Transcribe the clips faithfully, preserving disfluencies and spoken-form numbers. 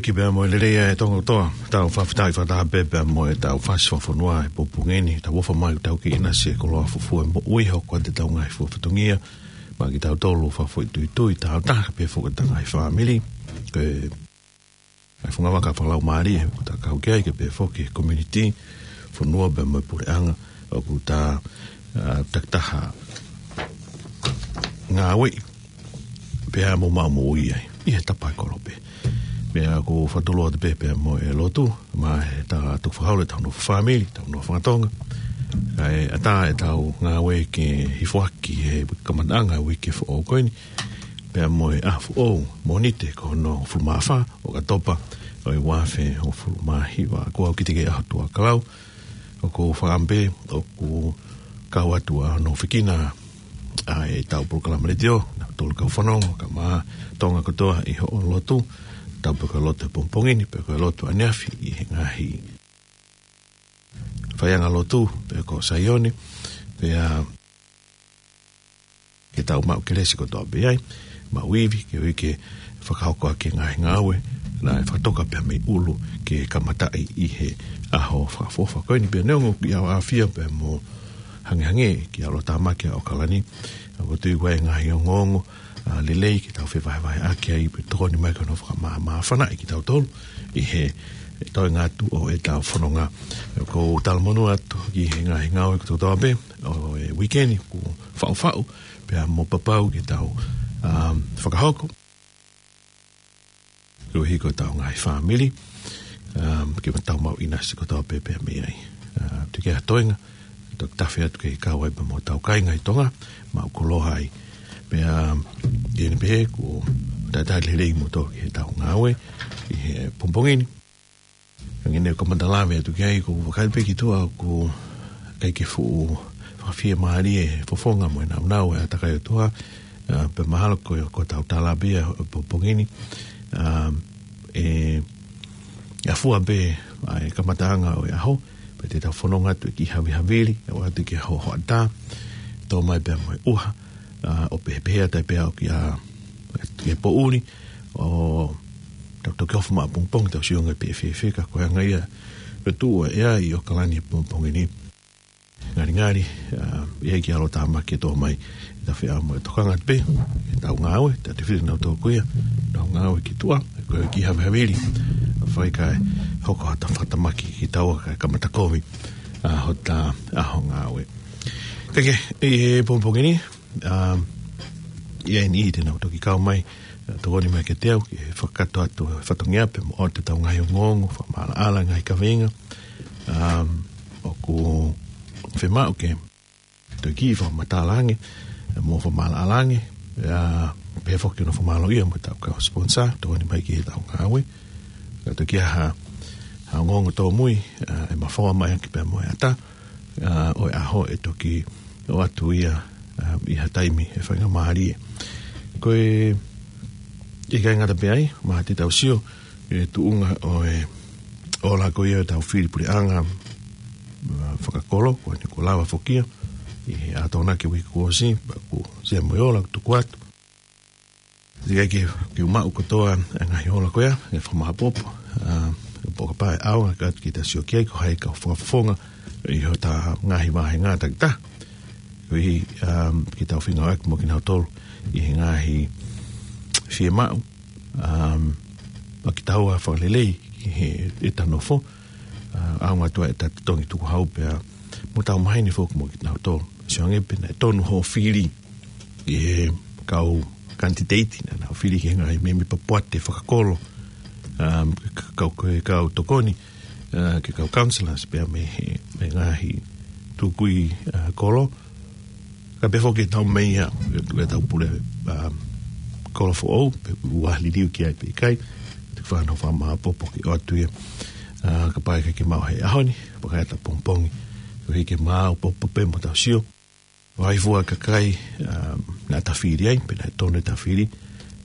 Ki pea mo e lelei ʻa e Tonga kotoa, tau fakafetaʻi fakataha pē pea mo e tau fasi fakafonua ʻi he pongipongi ni, tau ʻofa mai tau kei ʻinasi he koloa fufū e moʻui, hoko atu e tau ngaahi fua fatongia, maʻa kitautolu fakafoʻituitui, tau taha pē foki ʻetau ngaahi fāmili, ke, ʻa e funga vaka fakalaumālie, ko ta kau ki ai ke pē foki community, fonua pea mo e puleʻanga, ʻoku ta, ʻa, takitaha ngāueʻi, pea mo maʻu moʻui ai, ʻi he tapa ʻe kolope. Pea ʻoku fakatulou atu pē pea mo e lotu, maʻa e tau tukufakaholo ʻetau nofo fāmili, tau nofo fakatonga. Kae ʻatā e tau ngāue ke hifo hake he kamataʻanga e uike foʻou ko eni. Pea mo e ʻaho foʻou, Mōnite ko hono hongofulu mā fā ʻo ʻOkatopa ʻo e ua afe hongofulu mā hiva, ko au ki te ke ʻaho tuʻa kalau, ʻoku ou fakaʻamu pē, ʻoku kau atu ʻa hono fekina ʻa e tau polokalama letiō, naʻa tolu kau fanongo, ka maʻa Tonga kotoa ʻi hoʻo lotu, tau pē ko e lotu pongipongi ni, pē ko e lotu ʻaneafi ʻi he ngaahi faiʻanga lotu, pē ko Saione, pea ke tau maʻu kelesi kotoa pē ai, maʻu ivi, ke ui ke fakahoko ʻaki e ngaahi ngāue, naʻe fakatoka pea mei ʻulu ke kamataʻi ʻi he ʻaho fakaʻofoʻofa ko eni pea neongo ʻoku ʻi ai ʻa e ʻafio pea mo hangehangē ki ʻAlo Tāmaki ʻa ʻAokalani, ʻoku ou tui ʻoku ʻi ai e ngaahi ongoongo, ʻa, lelei ke tau fevahevaheʻaki ai pea tokoni mai ki hono fakamāmāfanaʻi kitautolu ʻi he toenga atu ʻo e tau fononga. ʻOku ou talamonū atu ki he ngaahi ngāue kotoa pē ʻo e uike ni kuo faʻufaʻu, pea mo papau ke tau, um, fakahoko. Koeʻuhi ko e tau ngaahi fāmili, um, ke tau maʻu ʻinasi kotoa pē pea mei ai. Uh, tuku ke ha toenga, toki tafe atu ke kau ai pea mo e tau kāinga ʻi Tonga, maʻu koloa ai. Pea, um, ʻi heʻene pehē, kuo talitali lelei kimoutolu ki he tau ngāue, ʻi he pongipongi ni. Hangē ko e kamata lave atu ki ai, ʻoku ou vakai pē ki tuʻa ʻoku ʻikai ke fuʻu fakafiemālie e fofonga mo e nāunau e ʻātakai ʻOtua, ʻa, pea mahalo ko, ko e tau tala pē ʻa e pongipongi ni, ʻa, ʻe, ʻe ʻafua pē ʻa e kamataʻanga ʻo e ʻaho, pea te tau fononga atu ki he havihavili, ʻo ʻoatu ki he hohoʻatā, tō mai pea mo e ʻuha, ʻa, ʻo pehē pē ʻa e tai pē ʻo ki ʻa, ki he poʻuli, ʻo tau toki ʻofa maʻa pongipongi tau sio ange pē ʻe fēfē ka ko e anga ia ʻo e tuʻu ʻa e ʻea ʻi ʻAokalani pongipongi ni. Ngalingali, ʻa, ʻi ai ki ʻAlo Tāmaki ʻe tō mai ʻi he tafe ʻa mo e tokanga pē, ʻe tau ngāue, tau te fili nau tō ko ia, nau ngāue ki tuʻa, ko e ki havihavili, ʻa fai kae hoko ha ta fakatamaki ki taua kae kamata kovi, ʻa, hota ʻaho ngāue. Kae kehe, ʻi he pongipongi ni, ʻa, ʻi ai ni te nau toki kau mai, ʻa, tokoni mai kiate au, ke fakakakato atu e fatongia pea mo ʻoatu e tau ngaahi ongoongo, fakamaʻalaʻala ngaahi kaveinga, ʻa, ʻoku fiemaʻu ke toki fakamatala ange, ʻa, mo fakamaʻalaʻala ange, ʻa, pehē foki hono fakamālōʻia mo e tau kau sponsor, tokoni mai ki he tau ngāue, ka toki ʻi ai ha, ha ongoongo tōmui, ʻa, ʻe mafoa mai ʻaki pea mo e ʻatā, ʻa, ʻo e ʻaho ʻe toki ʻoatu ia, ʻa, ʻi ha taimi ʻe faingamālie. Ko e, ʻikai ngata pē ai, maʻa te tau sio, ʻi he tuʻunga ʻo e ola ko ia ʻo e tau fili puleʻanga, ʻa, fakakolo, ko eni kuo lava foki ia, ʻi he ʻaho Tokonaki uike kuo ʻosi, pea kuo sia mo e ola, tuku atu. ʻIkai ke, ke u maʻu kotoa e ngaahi ola ko ia, ʻe fakamāpopo, ʻa, ʻe poka pā e ʻaonga ka atu ke ta sio ki ai ko hai kau fakafofonga, ʻi hota ngaahi vāhenga takitaha. Koeʻuhi, um, ke tau feinga ʻaki mo kinautolu, ʻi he ngaahi fiemaʻu, um, ʻa kitaua fakalelei, ʻi he ʻeta nofo, ʻa, ʻaonga atu ʻa ʻeta totongi tukuhau pea, mo tau maheni foki mo kinautolu. Sio ange pē naʻe tonu hoʻo fili, ʻi he kau kanititeiti naʻa nau fili ki he ngaahi meʻa mei papuate fakakolo, um, ke kau, ke kau tokoni, ʻa, ke kau counsellors pea mei he, mei he ngaahi tukui, ʻa, kolo. Ka pehē foki tau mei ia, ʻe, ʻe tau pule, um, kolo foʻou, pe ʻoku liliu ki ai pe ʻikai, te fano fakamāpopo ke ʻoatu ia, ʻa, kapau ʻe ʻikai ke maʻu he ʻaho ni, pea ka ʻi ai ha pongipongi, koeʻuhi ke maʻu popo pē mo tau sio. ʻOku ʻi ai fua kakai, um, naʻa ta fili ai, pe naʻe tonu ʻeta fili,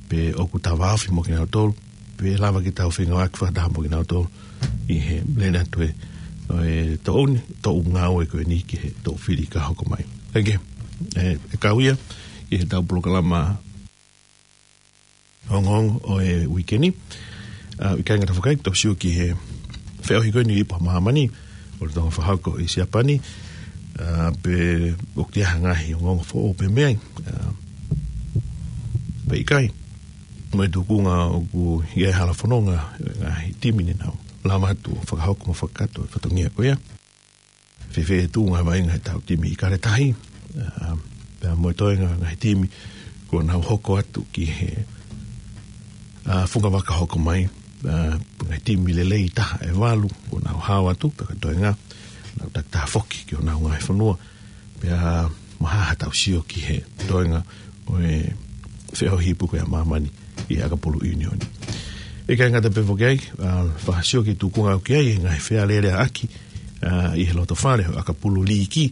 pe ʻoku ta vāofi mo kinautolu, pe lava ke tau feinga ʻaki fakataha mo kinautolu, ʻi he lele atu e, ʻo e toʻu ni, toʻu ngāue ko eni ki he toʻu fili ka hoko mai. Kae kehe, ʻe, ʻe kau ia, ʻi he tau polokalama ongoongo ʻo e uike ni. ʻA, ʻikai ngata foki ai, tau sio ki he feʻauhi ko eni ʻi Ipu Māmani, ʻo Tonga Fakahoko ʻi Siapani, ʻa, pe ʻoku ʻi ai ha ngaahi ongoongo foʻou pē mei ai, ʻa, pe ʻikai. Mo e tuʻunga ʻoku ʻi ai e hala fononga, ngaahi timi ne nau lava atu ʻo fakahoko mo fakakakato e fatongia ko ia. Fēfē e tuʻunga vaʻinga ʻetau timi ʻIkale Tahi, ʻa, pea mo e toenga ngaahi timi kuo nau hoko atu ki he, ʻa, funga vaka hoko mai, ʻa, ngaahi timi lelei taha ʻe valu kuo nau hao atu, pea ko e toenga, nau takitaha foki ki honau ngaahi fonua, pea mo ha ha tau sio ki he toenga ʻo e feʻauhi Ipu ko ia ʻa Māmani ʻi he ʻakapulu ʻiunioni. ʻIkai ngata pē foki ai, ʻa, fakasio ki he tuʻunga ʻoku ʻi ai e ngaahi fealēleaʻaki, ʻa, ʻi he loto fale ʻo e ʻakapulu liiki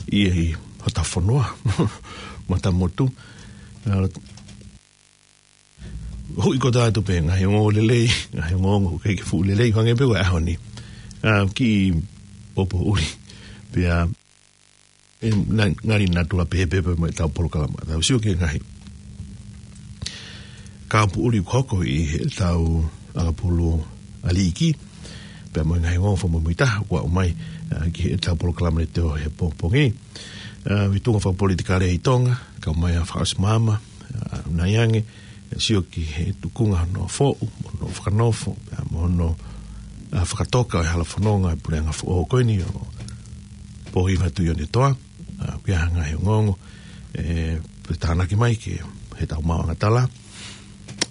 ʻi, ʻi hotau fonua, matamotu. ʻA, hui ko tātou pē ngaahi ongoongo lelei, ngaahi ongoongo ʻoku ʻikai ke fuʻu lelei, hangē pē ko e ʻaho ni. ʻA, kiʻi poupou ʻuli, pea ʻe, na-, ngali natula pē pē pē mo ʻetau polokalama. Tau sio ki he ngaahi kāpui ʻuli ʻoku hoko ʻi heʻetau ʻakapulu ʻa liiki, pea mo e ngaahi ongoongo fakamuimuitaha kuo aʻu mai, ʻa, ki heʻetau polokalama leitiō he pongipongi. ʻA, ʻi he tuʻunga fakapolitikale ʻi Tonga, kau mai ʻa Fakaʻosi Maama, ʻa, nai ange, ʻe sio ki he tuʻunga hono foʻu, mo hono fakanofo, pea mo hono, ʻa, fakatoka ʻo e hala fononga ʻa e puleʻanga foʻou ko eni ʻo Pōhiva Tuʻiʻonetoa, ʻa, pea ʻi ai ha ngaahi ongoongo, ʻe, pe tānaki mai ki heʻetau maʻuʻanga tala,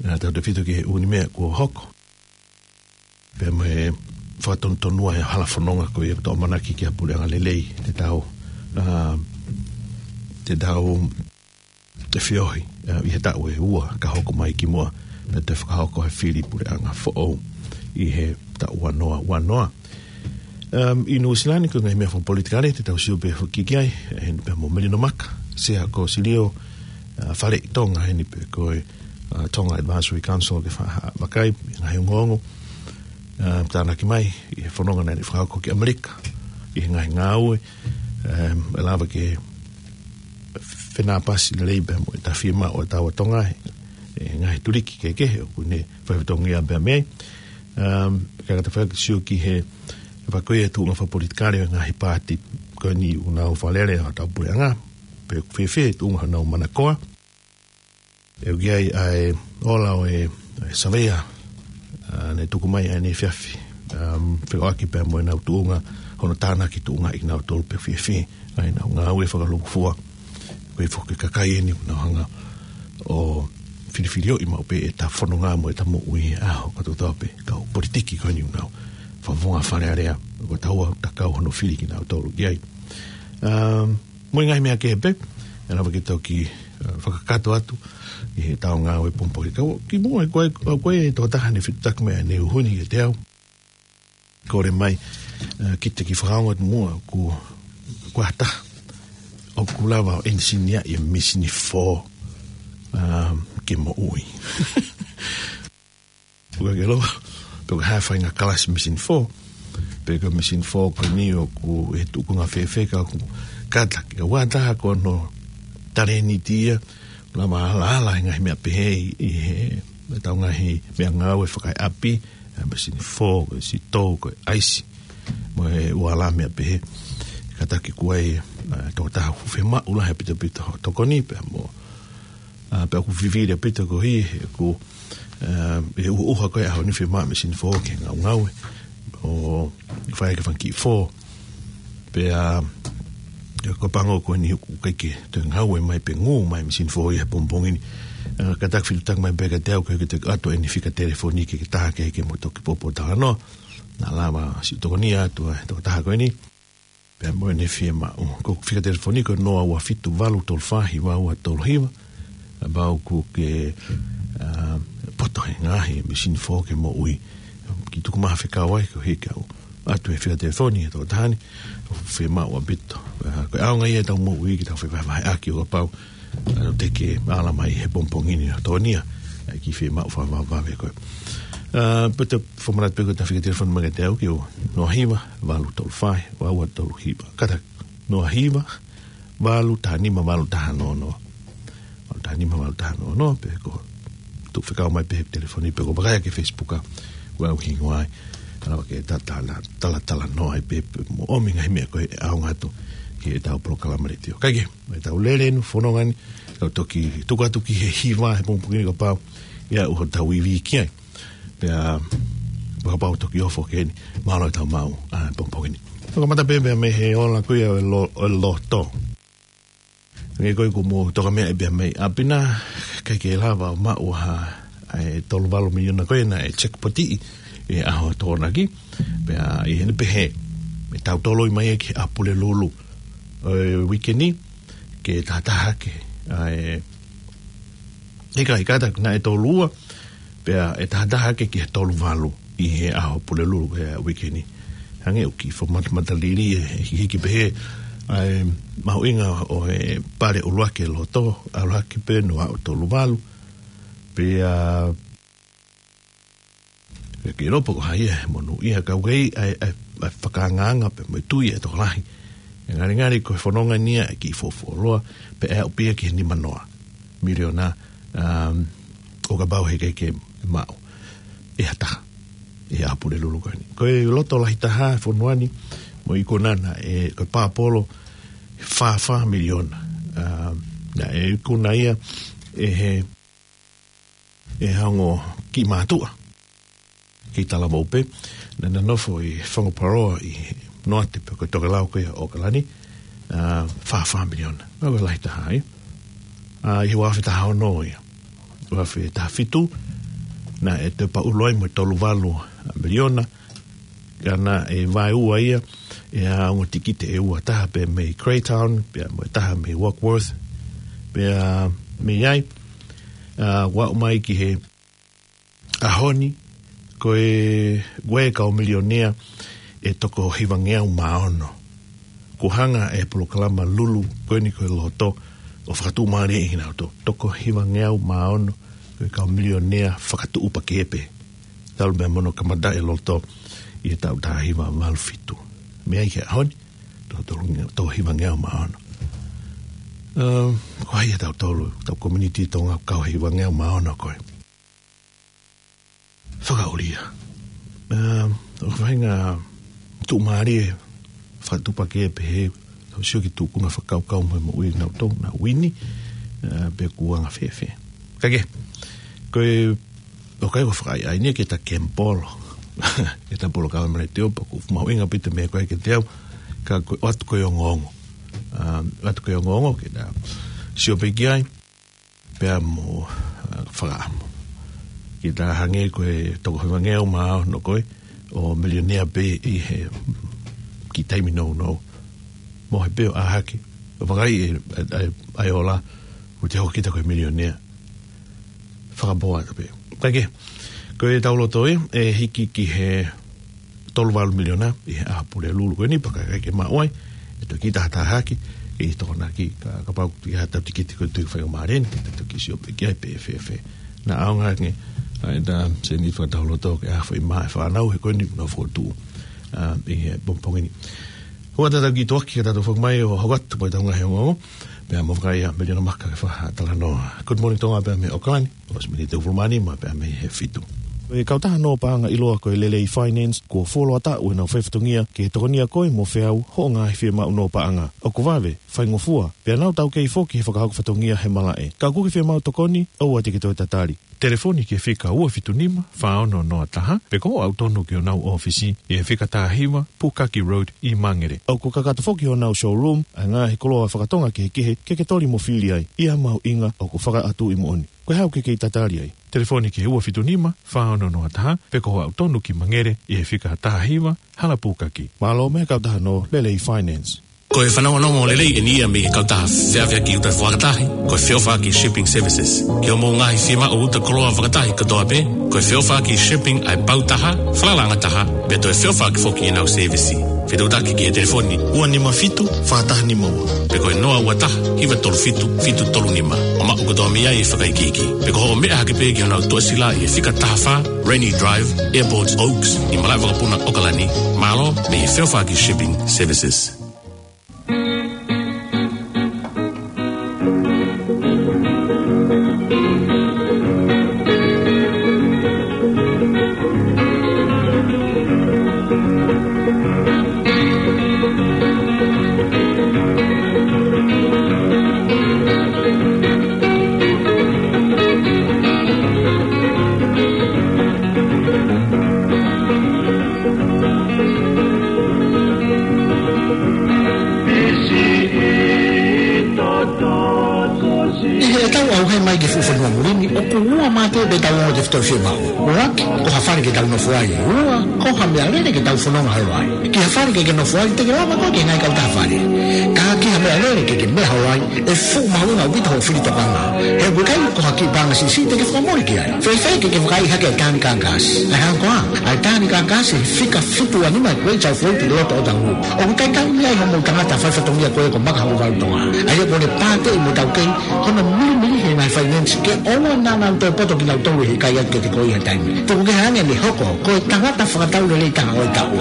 ʻa, tautefito ki he ʻū meʻa kuo hoko. Pea mo e fakatonutonua e hala fononga ko ia ʻoku tau ʻamanaki ki ha puleʻanga lelei, te tau, ʻa, te tau ʻe feohi, ʻa, ʻi he taʻu ʻe ua ka hoko mai ki muʻa, pea toe fakahoko ha fili puleʻanga foʻou ʻi he taʻu ua noa ua noa. Um, ʻi Nuʻusila ni ko e ngaahi meʻa fakapolitikale, te tau sio pē foki ki ai, ʻe, pea mo Melino Maka, Sea ko Silio, ʻa, Faleʻi Tonga, ʻi heni pē ko e, ʻa, Tonga Advisory Council ke fa-, vakai, ngaahi ongoongo, ʻa, tānaki mai, ʻi he fononga naʻe fakahoko ki ʻAmelika, ʻi he ngaahi ngāue, um, ʻe lava ke fenāpasi lelei pea mo e tafiemaʻu ʻo e tau ʻa Tonga he, he ngaahi tuliki kehekehe ʻoku ne fai fatongia pea mei ai. Um, ka ka ta fai sio ki he, he vakai e tuʻunga fakapolitikale ʻo e ngaahi paati ko eni ʻoku nau fakalele ʻa hotau puleʻanga, pe ʻoku fēfē e tuʻunga honau manakoa. ʻE ʻi ai ʻa e ola ʻo e, e saveia, ʻa, ne tuku mai ʻaneefiafi, um, fekauʻaki pea mo ʻenau tuʻunga, hono tānaki tuʻunga ʻi nau tolu pe fēfē ʻa ʻenau ngāue fakalūkufua. Ko e foki kakai eni ʻoku nau hanga ʻo filifili ʻo ʻi maʻu pē ʻeta fononga mo ʻeta moʻui ʻi he ʻaho kotoa pē, kau politiki ko eni ʻoku nau fakavonga Fale Alea, ko taua takau hono fili kinautolu ki ai. Um, mo e ngaahi meʻa kehe pē, ʻe lava ke toki, ʻa, fakakakato atu ʻi heʻetau ngāue pongipongi. Ka ʻoku kimuʻa, ko e, ko e tokotaha ne fetuʻutaki mai ʻaneuhu ni kiate au. Kole mai, ʻa, ke ta kiʻi fakaongo atu muʻa, ko, ko ha taha ʻoku lava ʻo ʻenisinia ʻi he misini fō, ʻa, ke moʻui. ʻOku ʻikai ke ʻilo pe ko e hā e faʻahinga kalasi misini fō, pe ko e misini fō ko eni ʻoku ʻi he tuʻunga fēfē, ka ʻoku kātaki, ka ʻoku ʻi ai ha taha ko hono talēniti ia, lava ʻo alaala he ngaahi meʻa pehē ʻi he, ʻetau ngaahi meʻangāue fakaeʻapi, ʻa e misini fō, ko e sitou, ko e ʻaisi, mo e ʻū ala meʻa pehē. Kātaki kuo ʻi ai, ʻa, tokotaha ʻoku fiemaʻu lahi ʻaupito ʻaupito hono tokoni, pea mo ʻA, pea ʻoku fifili ʻaupito koeʻuhi he ʻoku, ʻa, ʻi he ʻuha ko ē ʻaho ni fiemaʻu e misini fō ke ngaungaue ʻo fai ʻaki e fanga kiʻi fō. Pea, ʻa, ko e pango ko eni ʻoku ʻikai ke toe ngaue mai pe ngū mai e misini fō ia he pongipongi ni. ʻA, kātaki fetuʻutaki mai pē kiate au ke, ke toe ʻoatu ʻene fika telefoni ki he taha kehe ke mo toki poupou talanoa. Naʻa lava siʻi tokonia atu ʻa e tokotaha ko eni. Pea mo ʻene fiemaʻu. Ko e fika telefoni ko e noa ua fitu valu tolu fā hiva ua tolu hiva. Kapau ʻoku ke, ʻa, poto he ngaahi misini fō ke moʻui, kiʻi tuku mai ha fekau ai koeʻuhi ke u ʻoatu e fika telefoni ʻa e tokotaha ni. Fiemaʻu ʻaupito. ʻA, ko e ʻaonga ia ʻetau moʻui ke tau fevahevaheʻaki ʻo kapau ʻa, te ke ala mai he pongipongi ni ʻo tokonia ʻa e kiʻi fiemaʻu fakavavevave ko ē. ʻA, pea te u fakamanatu pē ko ʻeta fika telefoni mai kiate au ki he noa hiva valu tolu fā ua ua tolu hiva. Kātaki, noa hiva valu taha nima valu taha noa noa. Valu taha nima valu taha noa noa, pe ko e tuku fekau mai pē he telefoni pe ko e vakai ki he Facebook ʻa Ua uhi ngoai, ala ke ta-, ta-, ta-, tala, tala noa ai pē, pē, mo ʻomi ngaahi meʻa ko ē ʻaonga atu ki heʻetau polokalama letiō. Kae kehe, ʻetau lele ʻi he fononga ni, tau toki tuku atu ki he hiva he pongipongi ni kapau ʻe ʻi ai hotau ivi ki ai. Pea, kapau toki ofo ki heni, mālō ʻetau maʻu, ʻa, pongipongi ni. Toki kamata pē, pea mei he ola ko ia ʻo e lo-, ʻo e loto. Hangē ko ē kuo mou toka meaʻi pea mei ʻapi na, ʻikai ke lava ʻo maʻu ha, ʻa e tolu valu miliona ko ē naʻe jackpotiʻi ʻi he ʻaho Tokonaki. Pea ʻi heʻene pehē, ʻe tau toloi mai ki he ʻaho Pulelulu ʻo e uike ni, ke tahataha hake ʻa e, ʻikai, ʻikai, naʻe tolu ua, pea ʻe tahataha hake ki he tolu valu ʻi he ʻaho Pulelulu he uike ni. Hangē ʻoku kiʻi fakamata-, matalili ʻe hiki pehē ʻa e mahuʻinga ʻo e pale ʻuluaki ʻo e loto, ʻalu hake pē noa ʻo tolu valu. Pea, pea ke lopo ko hai e monūʻia kau kei ʻa e, ʻa e, ʻa e fakaangaanga pea mo e tui ʻa e tokolahi. ʻE ngalingali ko e fononga ni ia ʻe kiʻi fuofua loa, pea ʻe aʻu pē ia ki he nima noa miliona, um, ʻo kapau heʻikai ke maʻu ʻe ha taha ʻi he ʻaho Pulelulu ko eni. Ko e loto lahi taha ʻo e fonua ni, mo e ikuna naʻe, ʻe, ko e Pāpolo, fā fā miliona. Um, naʻe ikuna ia ʻe he, ʻe he ongo kiʻi mātuʻa kiʻi talavou pē, naʻá na nofo ʻi Whangaparāoa ʻi Noate pē ko e tokelau ko ia ʻo ʻOkalani, ʻa, fā fā miliona. Naʻe lahi taha ia. ʻA, ʻi he ua afe taha ono ia, ua afe taha fitu, naʻe toe paʻulu ai mo e tolu valu miliona, ka naʻe vaeua ia ʻe he ongo tikite ʻe ua, taha pē mei Greytown, pea mo e taha mei Warkworth, pea mei ai, ʻa, ʻo aʻu mai ki he ʻaho ni, ko e, ko e kau milionea ʻe toko hivangeau mā ono. Kuo hanga ʻe he polokalama lulu ko eni ko e loto ʻo fakatuʻumālieʻi kinautolu. Toko hivangeau mā ono ko e kau milionea fakatuʻupakē pē, talu mei he mono kamata e loto ʻi he taʻu taha hiva valu fitu. Mei ai ki he ʻaho ni, toko tolu nge-, toko hivangeau mā ono. Um, ko hai ʻa tautolu, tau community Tonga kau hivangeau mā ono ko ē? Fakaʻulia. Um, ʻoku faʻahinga tuʻumālie fakatuʻupakē pehē, tau sio ki he tūkunga fakakaukau mo e moʻui ʻa kinautolu, naʻa uini, ʻa, pe kuo anga fēfē. Kae kehe, ko e, ʻoku ʻikai ko e fakaʻaiʻai ni ke ta kemipolo ʻetau polokalama letiō, pea ʻoku mahuʻinga pē ʻa e meʻa ko ē kiate au, ka ko e ʻoatu ko ē ongoongo. Um, ʻoatu ko ē ongoongo, ke ta sio pē ki ai, pea mo, ʻa, fakaʻamu. Ke ta hangē ko e toko hivangeau mā ono ko ē ʻo milionea pē ʻi he kiʻi taimi nounou. Mohe pē ʻo ʻā hake. ʻO vakai ʻe, ʻe, ʻe, ʻe ola, ʻo te hoko kita ko e milionea. Fakapoa atu pē. Kae kehe, ko ʻetau loto ē, ʻe hiki ki he tolu valu miliona ʻi he ʻaho Pulelulu ko eni, pea ka ʻikai ke maʻu ai, ʻe toki tahataha hake ʻi he Tokonaki, ka, kapau ʻoku ʻi ai haʻatau tikite ko e Tuʻi Faingamālie ni, ke ta toki sio pē ki ai pe ʻe fēfē. Naʻa ʻaonga ange ʻa ʻeta sēniti fakatau loto ke ʻave ʻi he fānau he ko eni ʻoku nau fokotuʻu, ʻa, ʻi he pongipongi ni. Hua tatau ki tuʻa ki he tatau foki mai ʻo hoko atu pē ʻetau ngaahi ongoongo, pea mo fakaʻaiʻai ʻa Meliona Maka ke fai ha talanoa. Good morning Tonga pea mei ʻOkalani, ʻosi miniti ʻe hongofulu mā nima pea mei he fitu. Ko e kautaha nō paʻanga ʻiloa ko e Lelei Finance, kuo fuoloa taʻu ʻenau faifatongia ke tokonia koe mo feau hoʻo ngaahi fiemaʻu nō paʻanga. ʻOku vave, faingofua, pea nau taukei foki he fakahoko fatongia he malaʻe. Ka ʻoku ke fiemaʻu tokoni, ʻoua te ke toe tatali. Telefoni ki he fika ua fitu nima, fā ono noa taha, pe ko hoʻo aʻu tonu ki honau ʻōfisi, ʻi he fika taha hiva, Pukaki Road ʻi Mangere. ʻOku kakato foki honau showroom ʻa e ngaahi koloa fakatonga kehekehe ke ke toli mo fili ai. ʻI ha mahuʻinga ʻoku fakaʻatuʻi moʻoni. Ko e hā ʻoku ke kei tatali ai? Telefoni ki he ua fitu nima, fā ono noa taha, pe ko hoʻo aʻu tonu ki Mangere, ʻi he fika taha hiva, Hala Pukaki. Mālō mei he kautaha nō Lelei Finance. Ko e fanongonongo lelei eni ia mei he kautaha feʻaveʻaki uta fakatahi, ko e Feʻofaʻaki Shipping Services. Ki hoʻomou ngaahi fiemaʻu uta koloa fakatahi kotoa pē, ko e Feʻofaʻaki Shipping ʻa e pau taha, falalaʻanga taha, pea toe feʻofaʻaki foki ʻenau sēvisi. Fetuʻutaki ki he telefoni ua nima fitu, fā taha nima ua, pe ko e noa ua taha, hiva tolu fitu, fitu tolu nima. ʻO maʻu kotoa mei ai e fakaikiiki. Pe ko hoʻo meʻa hake pē ki honau tuʻasila ʻi he fika taha fā, Rainy Drive, Airport Oaks, ʻi Malaʻevakapuna, ʻOkalani. Mālō mei he Feʻofaʻaki Shipping Services. Tau fiemaʻu. ʻUluaki, ko ha fale ke tau nofo ai. Ua, ko ha meʻalele ke tau fononga holo ai. Ki ha fale ke ke nofo ai, te ke lava koe ke ngai kau taha fale. Ka ki ha meʻalele ke ke meʻa holo ai, ʻe fuʻu mahuʻinga ʻaupito hoʻo fili tokanga. He ʻoku ʻikai ko ha kiʻi paʻanga siʻisiʻi te ke fakamole ki ai. Fēfē ke ke vakaiʻi hake ʻa e Tanganyika Gas? ʻA e hā koā, ʻa e Tanganyika Gas he fika fitu ua nima Great South Road ʻi loto ʻo Otahuhu. ʻOku talitali mai ai hoʻomou tangata faifatongia ko ē ko Maka Hokovalu Tonga. ʻA ia kuo ne pāteʻi mo taukei hono milimili he ngaahi finance ke ʻoua naʻa nau toe poto kinautolu he ʻikai atu ke te koi ha taimi. Tuku kehe ange ʻene hoko ko e tangata fakatau lelei taha ʻo e taʻu.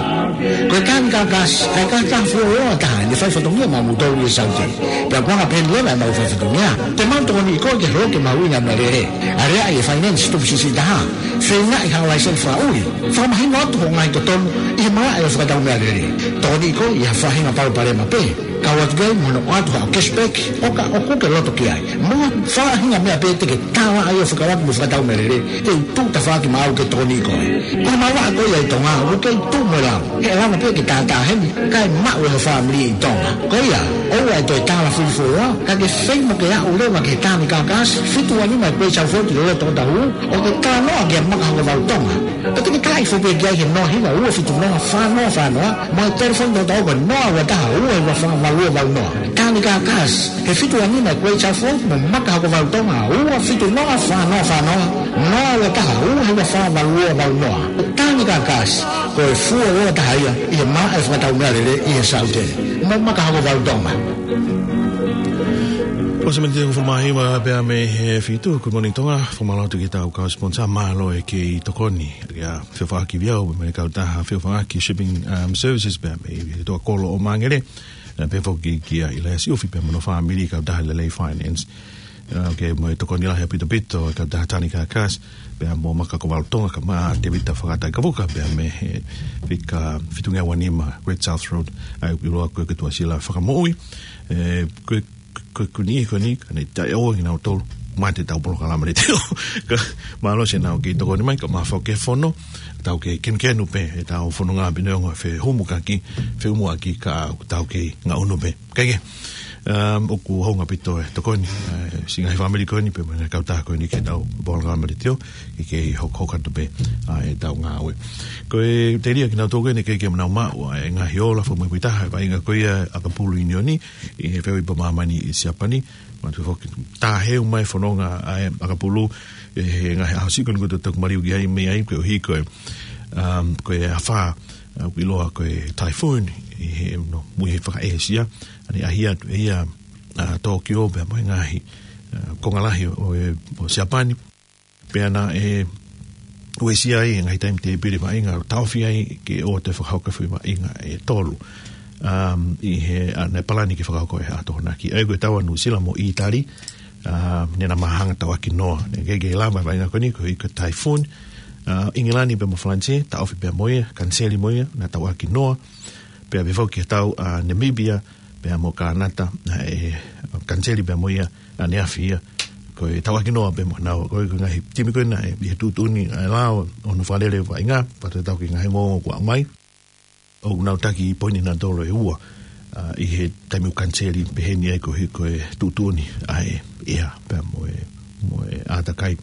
Ko e Tanganyika Gas, ʻa e kautaha fuoloa taha ʻene faifatongia maʻamoutolu ʻi Saute. Pea ʻoku anga pehē ni leva ʻemau faifatongia. Te mau tokoniʻi koe ke holoki e mahuʻinga e meʻalele. Aleaʻi e finance tupu siʻisiʻi taha. Feingaʻi ha laiseni fakaʻuli. Fakamahino atu hoʻo ngaahi totonu ʻi he malaʻe ʻo e fakatau meʻalele. Tokoniʻi koe ʻi ha faʻahinga palopalema pē. Kau atu ki ai mo hono ʻoatu haʻo cashback, ʻo ka ʻoku ke loto ki ai. Mo ha faʻahinga meʻa pē te ke tala ai ʻo fekauʻaki mo e fakatau meʻalele, te u tuʻu tafaʻaki maʻau ke tokoniʻi koe. Ko e malanga ko ia ʻi Tonga, ʻoku kei tuʻu mo e lau. He ʻe lava pē ke tātā heni, kae maʻu ʻe ho fāmili ʻi Tonga. Ko ia, ʻoua ʻe toe tala fili fuoloa, ka ke feinga ke aʻu leva ki he Tanganyika Gas, fitu ua nima Great South Road ʻi loto ʻo Otahuhu, ʻo ke talanoa kia Maka Hokovalu Tonga. Pea te ke taʻi foki ki ai he noa hiva ua fitu noa fā noa fā noa, mo e telefoni tautau ko e noa ua taha ua hiva fā valu ua valu noa. Tanganyika Gas, he fitu ua nima Great South Road, mo Maka Hokovalu Tonga, ua fitu noa fā noa fā noa, noa ua taha ua hiva fā valu ua valu noa. Tanganyika Gas, ko e fuoloa taha ia ʻi he malaʻe fakatau meʻalele ʻi he Saute. Mo Maka Hokovalu Tonga. Ko e miniti ʻe hongofulu mā hiva pea mei he fitu, Good Morning Tonga, fakamālō atu ki heʻetau kau sponsor, mālō e kei tokoni. Ia, feʻofaʻaki ʻiate au, mo e kautaha feʻofaʻaki Shipping, um, Services pea mei he toa kolo ʻo Māngere. Ē, pea foki kia ʻIlaiasi ʻUfi pea mo hono fāmili, kautaha Lelei Finance. Ē, ke mo e tokoni lahi ʻaupito ʻaupito, kautaha Tanganyika Gas, pea mo Maka Hokovalu Tonga, kae ʻumaʻā Tēvita Fakatai Kavuka, pea mei he fika fitu ngeau ua nima Great South Road, ʻa ia ʻoku ʻiloa ko e Tuʻasila Fakamoʻui. Ē, ko e ko, ko eni, ko eni, ka ne taʻeʻoua kinautolu, mate ʻetau polokalama ni te o. Ka, mālō siʻenau kei tokoni mai, ka mafoke fono, tau kei kenukenu pē, ʻetau fononga pē neongo e fehumu kaki, fehumu ʻaki ka tau kei ngaʻunu pē. Kae kehe, um, ʻoku hounga ʻaupito e tokoni, ē, siʻi ngaahi fāmili ko eni, pea mo e ngaahi kautaha ko eni ki heʻetau polokalama ni te o, ke kei hokohoko atu pē, ʻa ʻetau ngāue. Ko e telia kinautolu ko eni kei kei manau maʻu, ʻa e ngaahi ola, fakamuimuitaha, ʻa e vaʻinga ko ia ʻa ʻAkapulu ʻIunioni, ʻi he feohi pea māmani ʻi Siapani. Manatuʻi foki, tāheu mai fononga ʻa e ʻAkapulu, ʻi he ngaahi ʻaho siʻi ko eni kuo tau toki maliu ki ai mei ai, koeʻuhi ko e, um, ko e afā, ʻa, ʻoku ʻiloa ko e typhoon, ʻi he, no, mui he faka-ʻĒsia, ʻa ia ne ʻaʻahi atu ʻe ia, ʻa, Tōkio, pea mo e ngaahi, ʻa, konga lahi ʻo, ʻo e, ʻo Siapani. Pea naʻe uesia ai e ngaahi taimi tēpile vaʻinga, taʻofi ai ke ʻoua toe fakahoko e foʻi vaʻinga ʻe tolu. Um, ʻi he, ʻa, naʻe palani ke fakahoko he ʻaho Tokonaki. ʻA ia ko e tau ʻa Nuʻusila mo ʻĪtali, um, ne na māhanga tauʻaki noa. Ne kei kei lava e vaʻinga ko eni koeʻuhi ko e typhoon. Uh, ʻIngilani pea mo Falanisē, taʻofi pea mo ia, kaniseli mo ia, na tauʻaki noa. Pea pehē foki ki he tau ʻa Namibia, pea mo Kānata, naʻe kaniseli pea mo ia, ʻaneafi ia, ko e tauʻaki noa pea mo naua, ko e, ko e ngaahi timi ko ena ʻe, ʻi he tuʻutuʻuni ʻa e lao, ʻo hono fakalele vaʻinga, pea te tau ki he ngaahi ongoongo kuo aʻu mai, ʻoku nau taki poini nautolu ʻe ua, ʻa, ʻi he taimi ʻoku kaniseli pehē ni ai koeʻuhi ko e tuʻutuʻuni ʻa e ʻea, pea mo e, mo e ʻātakai.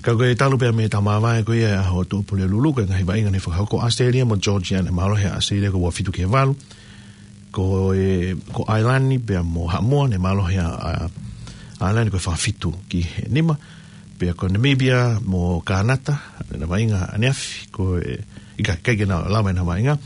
Ka ko e talu pea mei he tau māvae ko ia ʻa e ʻaho Tuʻapulelulu, ko e ngaahi vaʻinga ne fakahoko ʻAositelēlia mo Georgia, ne mālohi ʻa ʻAositelēlia ko e ua fitu ki he valu, ko e, ko ʻAilani pea mo Haʻamoa, ne mālohi ʻa, ʻa ʻAilani ko e fā fitu ki he nima, pea ko Namibia mo Kānata, ne na vaʻinga ʻaneafi, ko e, ʻikai, ʻikai ke na lava ʻena vaʻinga.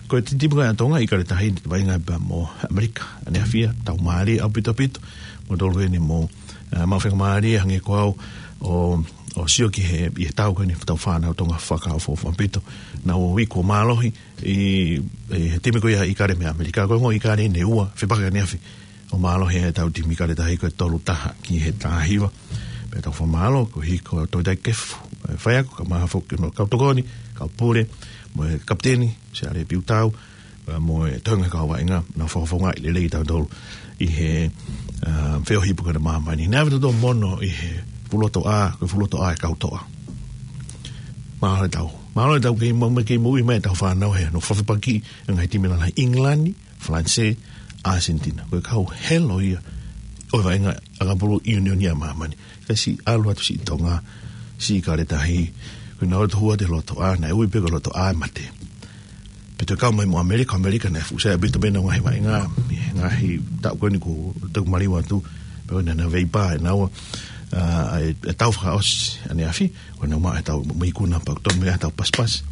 Ko e timi ko ē ʻa Tonga, ʻikai ke tahi, vaʻinga pea mo ʻAmelika, ʻaneafi ia, tau mālie ʻaupito ʻaupito, mo tolu eni mo, ʻa, mau fenga mālie, hangē ko au, ʻo, ʻo sio ki he, ʻi he tau ko eni, tau fānau Tonga fakaʻofoʻofa ʻaupito, naʻa nau ui kuo mālohi, ʻi, ʻi he timi ko ia ʻIkale mei ʻAmelika, ko e ongo ʻIkale ne ua, fepaki ʻaneafi, ʻo mālohi ʻetau timi ʻIkale Tahi ko e tolu taha ki he taha hiva. Pea tau fakamālō, koeʻuhi ko Toketā Kefu, ē, Faiako, kae ʻumaʻā foki hono kau tokoni, kau pule, mo e kapiteni, Siale Piutau, ē, mo e toenga kau vaʻinga, naʻa nau fakafofongaʻi lelei kitautolu ʻi he, ā, feohi pē ko ena ʻa māmani. Naʻe ʻave tautolu mono ʻi he fuʻu loto ʻā, ko e fuʻu loto ʻā e kau toʻa. Mālō ʻetau. Mālō ʻetau kei mo-, mo-, kei moʻui mai ʻetau fānau he, hono fefepakiʻi e ngaahi timi lalahi ʻIngilani, Falanisē, ʻAsenitina. Ko e kau helo ia ʻo e vaʻinga ʻakapulu ʻiunioni ʻa māmani. Kae siʻi ʻalu atu siʻi Tonga, Sī Kaletahi, ko ʻenau ō atu ʻo hū atu he lotoʻā, naʻe ui pē ko e lotoʻā ʻo e mate. Pea toe kau mai mo ʻAmelika, ʻAmelika naʻe fuʻu sai ʻaupito pē ʻenau ngaahi vaʻinga, ngaahi taʻu ko eni kuo toki maliu atu, pea ko ʻenau veipa ʻenau, ʻa, ʻe, ʻe tau fakaʻosi ʻaneafi, ko ʻenau maʻu ʻetau mo ikuna pea toki maʻu ʻetau pasipasi.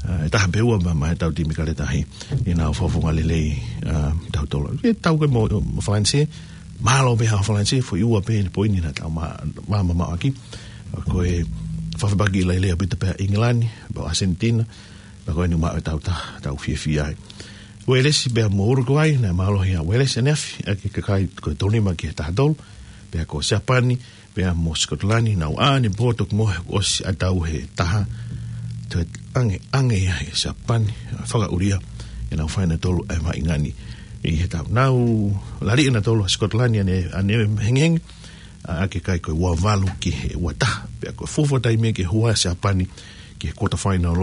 ʻA, ʻe taha pē ua ma, maʻa ʻetau timi Kaletahi, ʻi heʻenau fakafofonga lelei, ʻa, tautolu. ʻE tau ko ē mo, mo Falanisē, mālō pē ʻa Falanisē, foʻi ua pē ʻene poini naʻa tau ma, ma, ma, maʻu ʻaki. Ko e fakafepaki lahi lelei ʻaupito pē ʻa ʻIngilani, pea ʻAsenitina, pea ko eni maʻu ʻetau ta, tau fiefia ai. Uēlesi pea mo Urukuai, naʻe mālohi ʻa Uēlesi ʻaneafi, ʻaki e kakai ko e tolu nima ki he taha tolu, pea ko Siapani, pea mo Sikotilani, nau ʻā ʻanepō toki mohe ʻosi ʻa tau he taha, toe ange, ange ia he Siapani, fakaʻulia, ʻenau fai ʻe nautolu ʻa e vaʻinga ni ʻi he taʻu. Nau lali ʻe nautolu ʻa Sikotilani ʻane, ʻane hengehenge, ʻa, ʻaki e kai ko e ua valu ki he ua taha, pea ko e fuofua taimi ia ke hū ai ʻa Siapani ki he quarter final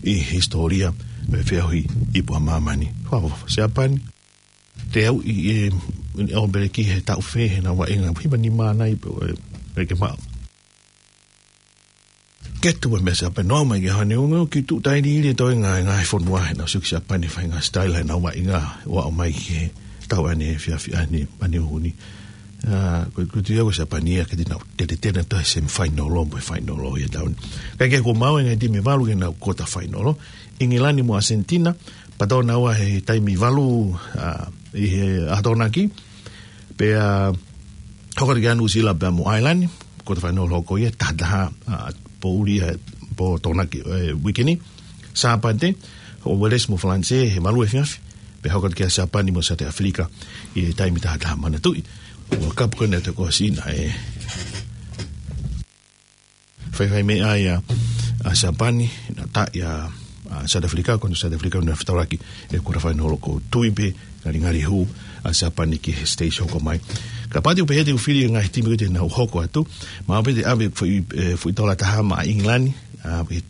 ʻi he hisitōlia ʻo e feohi ipu ʻa māmani. Fakaʻofoʻofa Siapani, te au ʻi, ʻe, ʻe ʻo pele ki he taʻu fē heʻenau vaʻinga, hiva nima nai pē, ʻe, ʻe ke maʻu. Ke tuʻu mai Siapani, nau ō mai ki he hane unga, ki tuʻu tailiili ʻe toe ngaahi, ngaahi fonua heʻenau sio ki Siapani, fai ngaahi sitaila heʻenau vaʻinga, ʻo aʻu mai ki he taʻu ʻaneefiafi ʻaneafi ʻaneafi ni. ʻA, ko, ko e tui au ko Siapani ia ke te nau, te te tena toe semifinal ʻo mo e final ʻo e taʻu ni. Kae kehe kuo maʻu e ngaahi timi ʻe valu ke nau quarter final. ʻIngilani mo ʻAsenitina, patō naua he taimi valu, ʻa, ʻi he ʻaho Tokonaki, pea hoko atu ki ai ʻa Nuʻusila pea mo ʻAilani, quarter final hoko ia, taha taha, ʻa, poʻuli ʻa e pō Tokonaki, ʻe, uike ni, Sāpate, ʻo Uēlesi mo Falanisē, he valu efiafi, pea hoko atu ki ai ʻa Siapani mo Saute ʻAfilika, ʻi he taimi taha taha manatuʻi. World Cup ko ena ʻe toko sina, ʻe. Faifai meʻa ia ʻa Siapani, naʻa tau ʻia, ʻa, Saute ʻAfilika, ko eni Saute ʻAfilika naʻe fetaulaki ʻi he quarter final ko e tui pē, ngalingali hū ʻa Siapani ki he stage hoko mai. Kapau te u pehē te u fili e ngaahi timi ko ē te nau hoko atu, mahalo pē te ʻave foʻi, ʻe, foʻi tola taha maʻa ʻIngilani, ʻa, ʻi he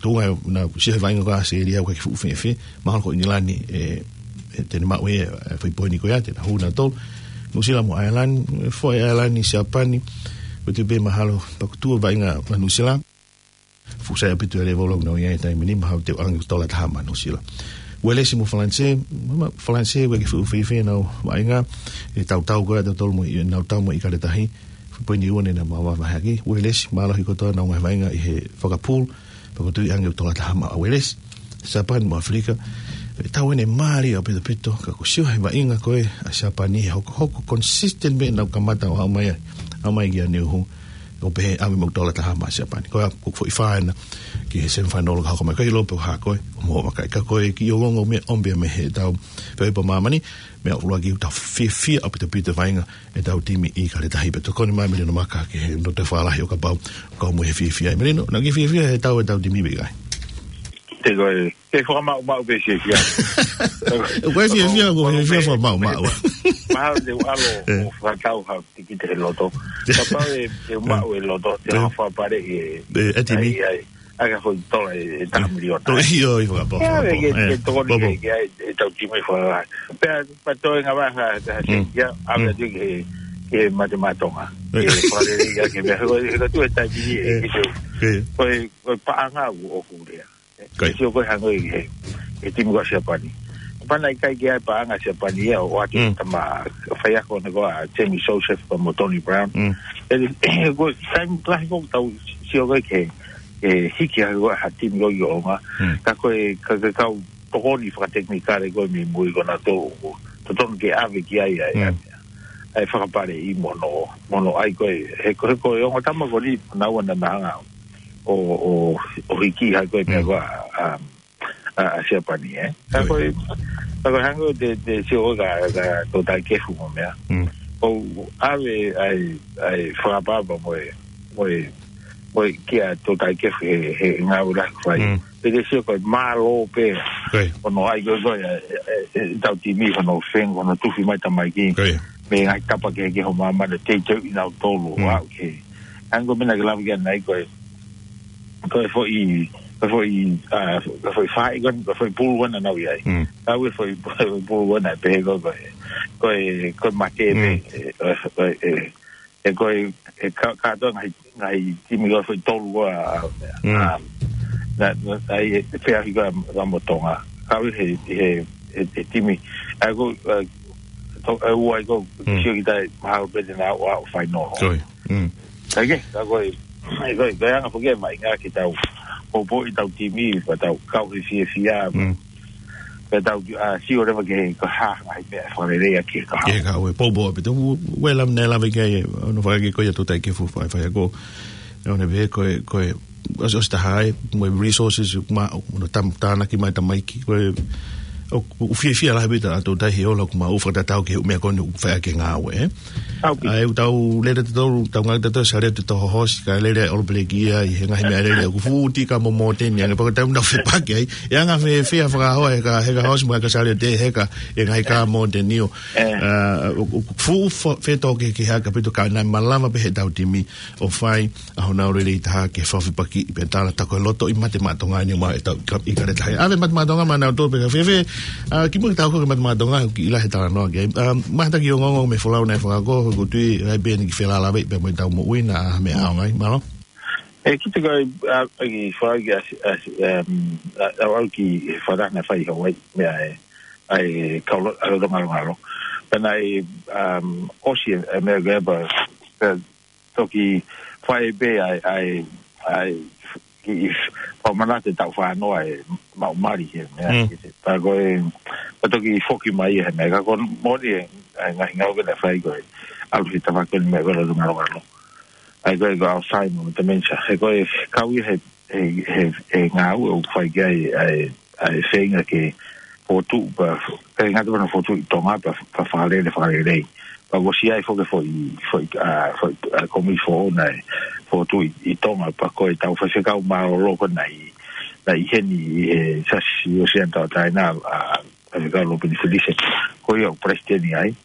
tuʻunga naʻa ku sio he vaʻinga ko ē ʻa ʻAositelēlia ʻoku ʻikai ke fuʻu fēfē, mahalo ko ʻIngilani, ʻe, ʻe te ne maʻu ʻe, ʻe, foʻi poini ko ia, te na hū nautolu. Nuʻusila mo ʻAilani, ʻe, foʻi ʻAilani, Siapani, ko e tui pē mahalo, pea ko e tuʻu vaʻinga ʻa Nuʻusila. Fuʻu sai ʻaupito e lēvolo ʻoku nau ʻi ai he taimi ni, mahalo te u ʻange tola taha maʻa Nuʻusila. Uēlesi mo Falanisē, ma, Falanisē ʻoku ʻikai ke fuʻu fēfē ʻenau vaʻinga, ʻe tautau ko ē ʻa tautolu mo, ʻenau tau mo ʻIkaletahi, foʻi poini ua ne nau maʻu vahevahe ʻaki. Uēlesi, mālohi kotoa ʻenau ngaahi vaʻinga ʻi he fakapulu, pea ko e tui ʻange ʻoku tola taha maʻa Uēlesi. Siapani mo ʻAfilika, ʻe tau ʻene mālie ʻaupito ʻaupito, ka ko e sio he vaʻinga ko ē ʻa Siapani he hokohoko consistent mei heʻenau kamata ʻo aʻu mai ai, aʻu mai ki ʻaneuhu, ʻo pehē ʻave mo e tola taha maʻa Siapani. Ko ia, ko e foʻi fā ena ki he semifinal ka hoko mai, ʻikai lōpē ʻo hā ko ē, ʻo mo vakai ka ko e kiʻi ongoongo meʻa ʻomi pē mei he taʻu feohi ipu ʻa māmani, meʻa ʻuluaki ʻoku tau fiefia ʻaupito ʻaupito vaʻinga ʻetau timi ʻi Kaletahi pea tokoni mai Melino Maka ki he note fālahi ʻo kapau, kau mo e fiefia ʻe Melino, naʻa ke fiefia he taʻu ʻetau timi pe ʻikai? Te koe, ke fakamaʻumaʻu pē fiefia. Ko e fiefia, ko e fiefia fakamaʻumaʻu. Mahalo te u ʻalu ʻo fakatau ha tikite he loto. Kapau ʻe, ʻe maʻu e loto, te u fakapale ʻe, ʻe timi. ʻAi, ʻai, ʻai ka foʻi tola ʻe, ʻe taha miliona. Ko ia ʻoku fakapale. ʻE, ke, ke tokoni ke, ke ʻai, ʻetau timi fakapale. Pea, pea toe ngavaha, ha, ha, ha, ia, ʻave atu ki he, ki he mate maʻa Tonga. Ke fakapale ia ke mea, ko, ko tu e taimi ʻe, ki se. Ko e, ko e paʻanga ʻoku, ʻoku lea. Ko ia. Sio ko e hangē ko e, e timi ko Siapani. Pana ʻikai ke ʻai paʻanga Siapani ia ʻo ʻoatu tama faiako ne ko ʻa Jamie Joseph pea mo Tony Brown. ʻE, ko e taimi lahi ko ʻetau sio ko e ke, e hiki hake ko ha timi ko ʻi ʻolunga. Ka ko e, ka, ka kau tokoni fakatekinikale ko ē mei mui ko ʻenau tō, totonu ke ʻave ki ai, ai, ai. ʻAi fakapale ʻi mo hono, mo hono ʻai ko e, he ko, he ko e ongo tama ko eni, naʻa na hanga ʻo, ʻo, ʻo hiki hake ko e meʻa ko ʻa, ʻa, ʻa, ʻa Siapani, ē. Ka ko e, ka ko e hangē te, te sio ka, ka tō taʻekefu mo meʻa. ʻO ʻave ʻai, ʻai fakapapa mo e, mo e, mo e kia tō taʻekefu he, he ngāue lahi fai. Te te sio ko e mālō pē. Ko ia. Ko hono ʻai ko e, ko e, e, e, ʻetau timi, ko hono feng, ko hono tufi mai tamaiki. Ko ia. Mei he ngaahi tapa kehekehe ʻo māmani, teuteuʻi nautolu, ʻo aʻu ki he. Hangē ko e meʻa naʻa ke lave ki ai ʻanenai ko e, ko e foʻi, ko e foʻi, ʻa, ko e foʻi fai, ko e, ko e foʻi pulu ko ē naʻa nau ʻi ai. Ka ko e foʻi, foʻi pulu ko ē naʻe pehē ko e, ko e, ko e, ko e mate pē, ʻe, ʻe, ʻe, ʻe, ko e, he ka, kātoa ngaahi, ngaahi timi ko ē foʻi tolu ko ē, a, Mm. a, na, na, na, ʻi he feʻauhi ko ē ʻa mo Tonga. Kau he, he, he, he timi. ʻA ia ko, ʻa, to, ʻa ia ko, Mm. sio ki tai mahalo pē te nau ō ʻo final. Soi. Mm. Ka ke, ka ko e, ko e, ko e anga foki e maʻu ngā ke tau, ko po i tau timi, ko tau kau he fiefia, Mm. ko tau, a, sio leva ke, ko e hā, ngaahi meʻa fakalelei ʻaki e kahaʻu. Ke kahaʻu e poupou pē te u, u, u e lam ne lave ki ai, ono fai ke ko ia tō tai ke fu fai fai ko. ʻE one pē ko e, ko e, ʻosi, ʻosi taha ai, mo e resources, ma, ono tam, tānaki mai tamaiki, ko e, ʻo, ʻoku fiefia lahi pē ʻa tō tai he ola ʻoku mau fakatatau ki he meʻa ko eni ʻoku fai ʻaki e ngāue, ē? Au pē. ʻA ia ʻoku tau lele te tau, tau ngāue te tau sa lele te tau hohosi, ka lele ʻa e All Black ia, ʻi he ngaahi meʻa lele, ʻoku fuʻu tika mo Mōteni, ange pako tau nau fepaki ai, ʻe anga fēfē ʻa e fakahoa, he ka, he ka hosi mo e ka sa lele te, he ka, ʻi he ngaahi ka Mōteni ʻo. Ē. ʻA, ʻo, ʻo, fuʻu fo-, fetōkehekehe ʻaupito ka naʻe malava pē he tau timi, ʻo fai, ʻa honau lelei taha ke fafepaki pē tala tako e loto ʻi Mate Maʻa Tonga ni ma e tau ka, ʻi ka le taha. ʻAve Mate Maʻa Tonga ma nau tō pē ka fēfē, ʻa, kimuʻa ke tau hoko ki Mate Maʻa Tonga, ki ʻila he talanoa ke. ʻA, mahalo ki he ongoongo mei he folau naʻe fakahoko, ʻoku ou tui, ʻai pē ni ki felālāveʻi pē mo e tau moʻui naʻa, ʻa, meʻa ʻaonga ai, mālō. ʻE, kita ko e, ʻa, ʻa, ki fai ki ʻasi, ʻasi, em, ʻa, ʻa, ʻa, ki he fara naʻe fai Hawaii, meʻa ē, ʻa e kau lo-, ʻa e Loto Ngalongalo. Pea naʻe, em, ʻosi e, e meʻa ko ē pea, pea toki fai pē ai, ai, ai, ki, fakamanatu e tau fānoa e mau mali he meʻa, Mm. ki te, pea ko e, pea toki foki mai he meʻa, ka ko e moʻoni e, e ngaahi ngāue naʻe fai ko e, ʻalu he tama ko eni meʻa ko e Loto Ngalongalo. ʻA ia ko e, ko e Alzheimer mo e dementia. He ko e kau ia he, he, he, he ngāue ʻoku fai ki ai, ʻa e, ʻa e feinga ke fokotuʻu pea, ke ngata pē ʻena fokotuʻu ʻi Tonga pea, pea fakalele, fakalelei. Pea ʻoku ʻosi ʻi ai foki e foʻi, foʻi, ʻa, foʻi, ʻa, komiti foʻou naʻe fokotuʻu ʻi, ʻi Tonga pea ko e tau faifekau mālōlō ko ē naʻe ʻi, naʻe ʻi heni ʻi he Siasi ʻOseania Tauʻatāina, ʻa, faifekau Lopeni Felise. Ko ia ʻoku palesiteni ai.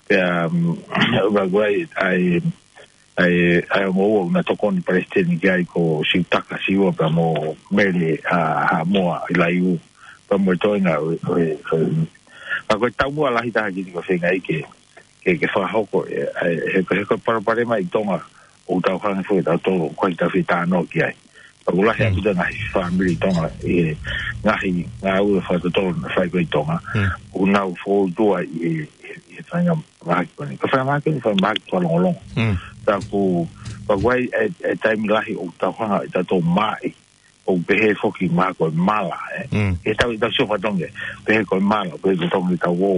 Pea, um, ʻa, ko e, ʻa e, ʻa e, ʻa e ongo ua naʻe tokoni palesiteni ki ai ko Siutaka Siua pea mo Mele, ʻa, Haʻamoa ʻi Laiū. Pea mo e toenga, ʻo, ʻo, ʻo, ʻa ko e taumuʻa lahi taha ki he ko e feinga ai ke, ke, ke fakahoko, ʻe, ʻa e, he, he ko e palopalema ʻi Tonga, ʻoku tau hanga foki ʻe tautolu, ko e tau fie talanoa ki ai. Pea ʻoku lahi Mm. ʻaupito ngaahi fāmili ʻi Tonga, ʻi he ngaahi ngāue fakatotolo naʻe fai ko ē ʻi Tonga, Mm. ʻoku nau fōtua ʻi he, ʻi he, ʻi he faingamāhaki ko eni. Ko e faingamāhaki ko eni, faingamāhaki fakalongolongo. Mm. Ka ʻoku, ka ʻoku ʻi ai e, e taimi lahi ʻoku tau hanga ʻe tautolu ʻo maʻi, ʻoku pehē foki mahalo ko e mala, ē. Mm. ʻE tau, ʻe tau sio fatongia, pehē ko e mala, pehē ko e tongi tau ō,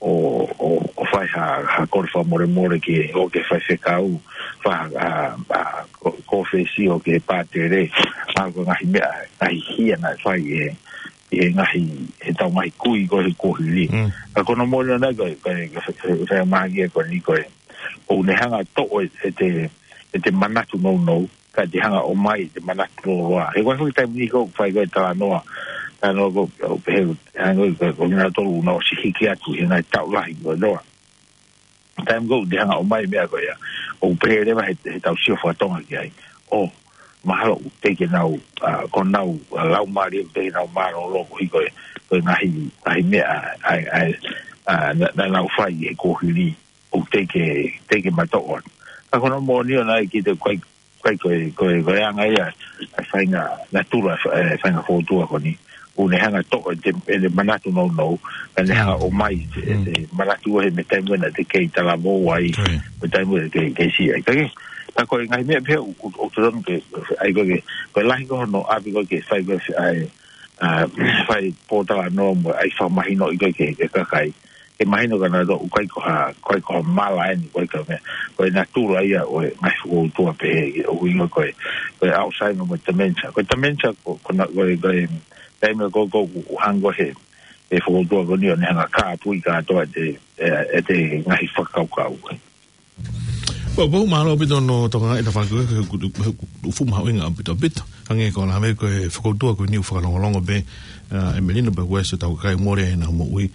ʻo, ʻo, ʻo fai ha, ha kole fakamolemole ki he, ʻo ki he faifekau, fai ha, ʻa, ʻa, ko, kōfesi ʻo ki he pātele, ʻa, ko e ngaahi meʻa, ngaahi hia naʻe fai ʻe, ʻe he ngaahi, he tau ngaahi kui ko ē he kuohili. Mm. Ka ko hono moʻoni ʻona ko e, ko e, ko e, ko e, ko e faingamāhaki ko eni ko e, ʻoku ne hanga ʻo toʻo e, ʻete, ʻete manatu nounou, ka te hanga ʻo ʻomai ʻete manatu lōloa. He ko e foʻi taimi ni ko ē fai ko ē talanoa, talanoa ko, ʻo pehē, hanga ko, ko kinautolu naʻe ʻosi hiki atu he ngaahi taʻu lahi ko ē noa. Taimi ko ē te hanga ʻo ʻomai meʻa ko ia, ʻoku pehē leva he, he tau sio fakatonga ki ai. ʻO, mahalo ʻoku teʻeki ke nau, ʻa, ko honau, ʻa, laumālie ʻoku teʻeki ke nau mālōlō koeʻuhi ko e, ko e ngaahi, ngaahi meʻa, ʻa, ʻa, ʻa, naʻa, naʻa nau fai he kuohili. ʻOku teʻeki ke, teʻeki ke matoʻo atu. Ka ko hono moʻoni ʻona ʻe kita ko e, ko e, ko e, ko e, ko e anga ia, ʻa e faʻahinga natula, ʻa e faʻahinga fōtua ko eni. ʻOku ne hanga ʻo toʻo ʻete, ʻete manatu nounou, ka ne hanga ʻo ʻomai ʻete, Mm. ʻete manatu he mei he taimi naʻa te kei talavou ai, Ko ia. mei he taimi naʻa te kei, kei siʻi ai. Ka ke, ka ko e ngaahi meʻa pehē ʻoku, ʻoku, ʻoku totonu ke, ʻai ko ē ke, ko e lahi ko ē hono ʻapi ko ē ke fai ko ē ʻa e, ʻa, fai pōtalanoa mo ʻai fakamahinoʻi ko ē ki he, ki he kakai. Ke mahino kia nautolu ʻoku ʻikai ko ha, ʻikai ko ha mala eni, ʻikai ko ha meʻa. Ko e natula ia ʻo e ngaahi fokoutua pehē, ʻoku ʻi ai ko e, ko e Alzheimer mo e dementia. Ko e dementia ko, ko na, ko e, ko e, taimi ko ē ʻoku, ʻoku hanga ʻe he, he fokoutua ko eni ʻo ne hanga ʻo kāpui kātoa ʻete, ʻe, ʻete ngaahi fakakaukau. Pea, pea mālō ʻaupito hono tokangaʻi ʻeta fanga kiʻi, he ʻoku, he ʻoku fuʻu mahuʻinga ʻaupito, ʻaupito. Hangē ko e lave ko ē he fokoutua ko eni ʻoku fakalongolongo pē, ʻa, ʻe Melino pea ko e ʻosi ʻetau kakai mole ʻenau moʻui.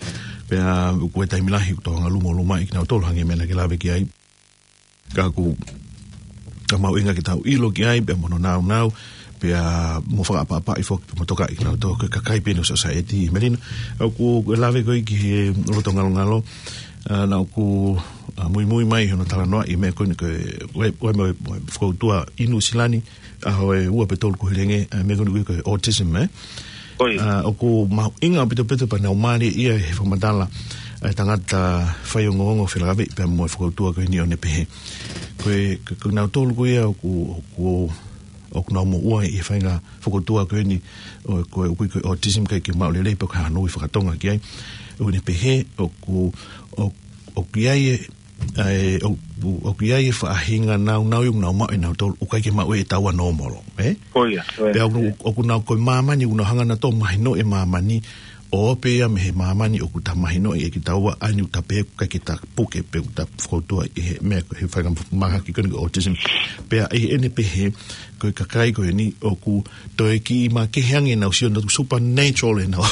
Pea, ʻa, ko e taimi lahi ʻoku tau hanga ʻo luma, lumaʻi kinautolu hangē ko e meʻa naʻa ke lave ki ai. Ka ʻoku, ka mahuʻinga ke tau ʻilo ki ai, pea mo hono nāunau, pea mo fakaʻapaʻapaʻi foki, pea mo tokaʻi kinautolu ko e kakai pē eni ʻo e society, Melino. ʻOku, ko e lave ko ē ki he Loto Ngalongalo, ʻa, naʻa ʻoku ʻa, muimui mai hono talanoaʻi e meʻa ko eni ko e, ʻoku ʻi ai, ʻoku ʻi ai mo e, mo e fokoutua ʻi Nuʻusila ni, ʻa, ʻi he ua pe tolu kuo hilifaki, ʻa, meʻa ko eni ko e autism, ē? ʻIo. ʻA, ʻoku mahuʻinga ʻaupito pē pea nau mālieʻia he fakamatala ʻa e tangata faiongoongo felāveʻi pea mo e fokoutua ko eni ʻo ne pehē. Ko e, ko, ko kinautolu ko ia ʻoku, ʻoku, ʻoku nau moʻua ʻi he faʻahinga fokoutua ko eni, ʻo, ko e ʻoku ui ko e autism ʻikai ke maʻu lelei pe ko e hā hano ui fakatonga ki ai. ʻO ne pehē, ʻoku, ʻo, ʻoku ʻi ai e, ʻa e, ʻo, ʻo, ʻoku ʻi ai e faʻahinga naunau ʻoku nau maʻu ʻe nautolu, ʻoku ʻikai ke maʻu ʻe taua nōmolo, ē? Ko ia, ko ia. Pea ʻoku, ʻoku nau ko e māmani, ʻoku nau hanga nautolu ʻo mahinoʻi e māmani, ʻo pehē ia mei he māmani ʻoku ta mahinoʻi ʻe kitaua ʻa eni ʻoku ta pehē ʻoku ʻikai ke ta puke pe ʻoku ta fokoutua ʻi he meʻa ko e faʻahinga mahaki ko eni ko e autism. Pea ʻi heʻene pehē, ko e kakai ko eni ʻoku toe kiʻi makehe ange ʻenau sio nautolu, supernatural ʻenau,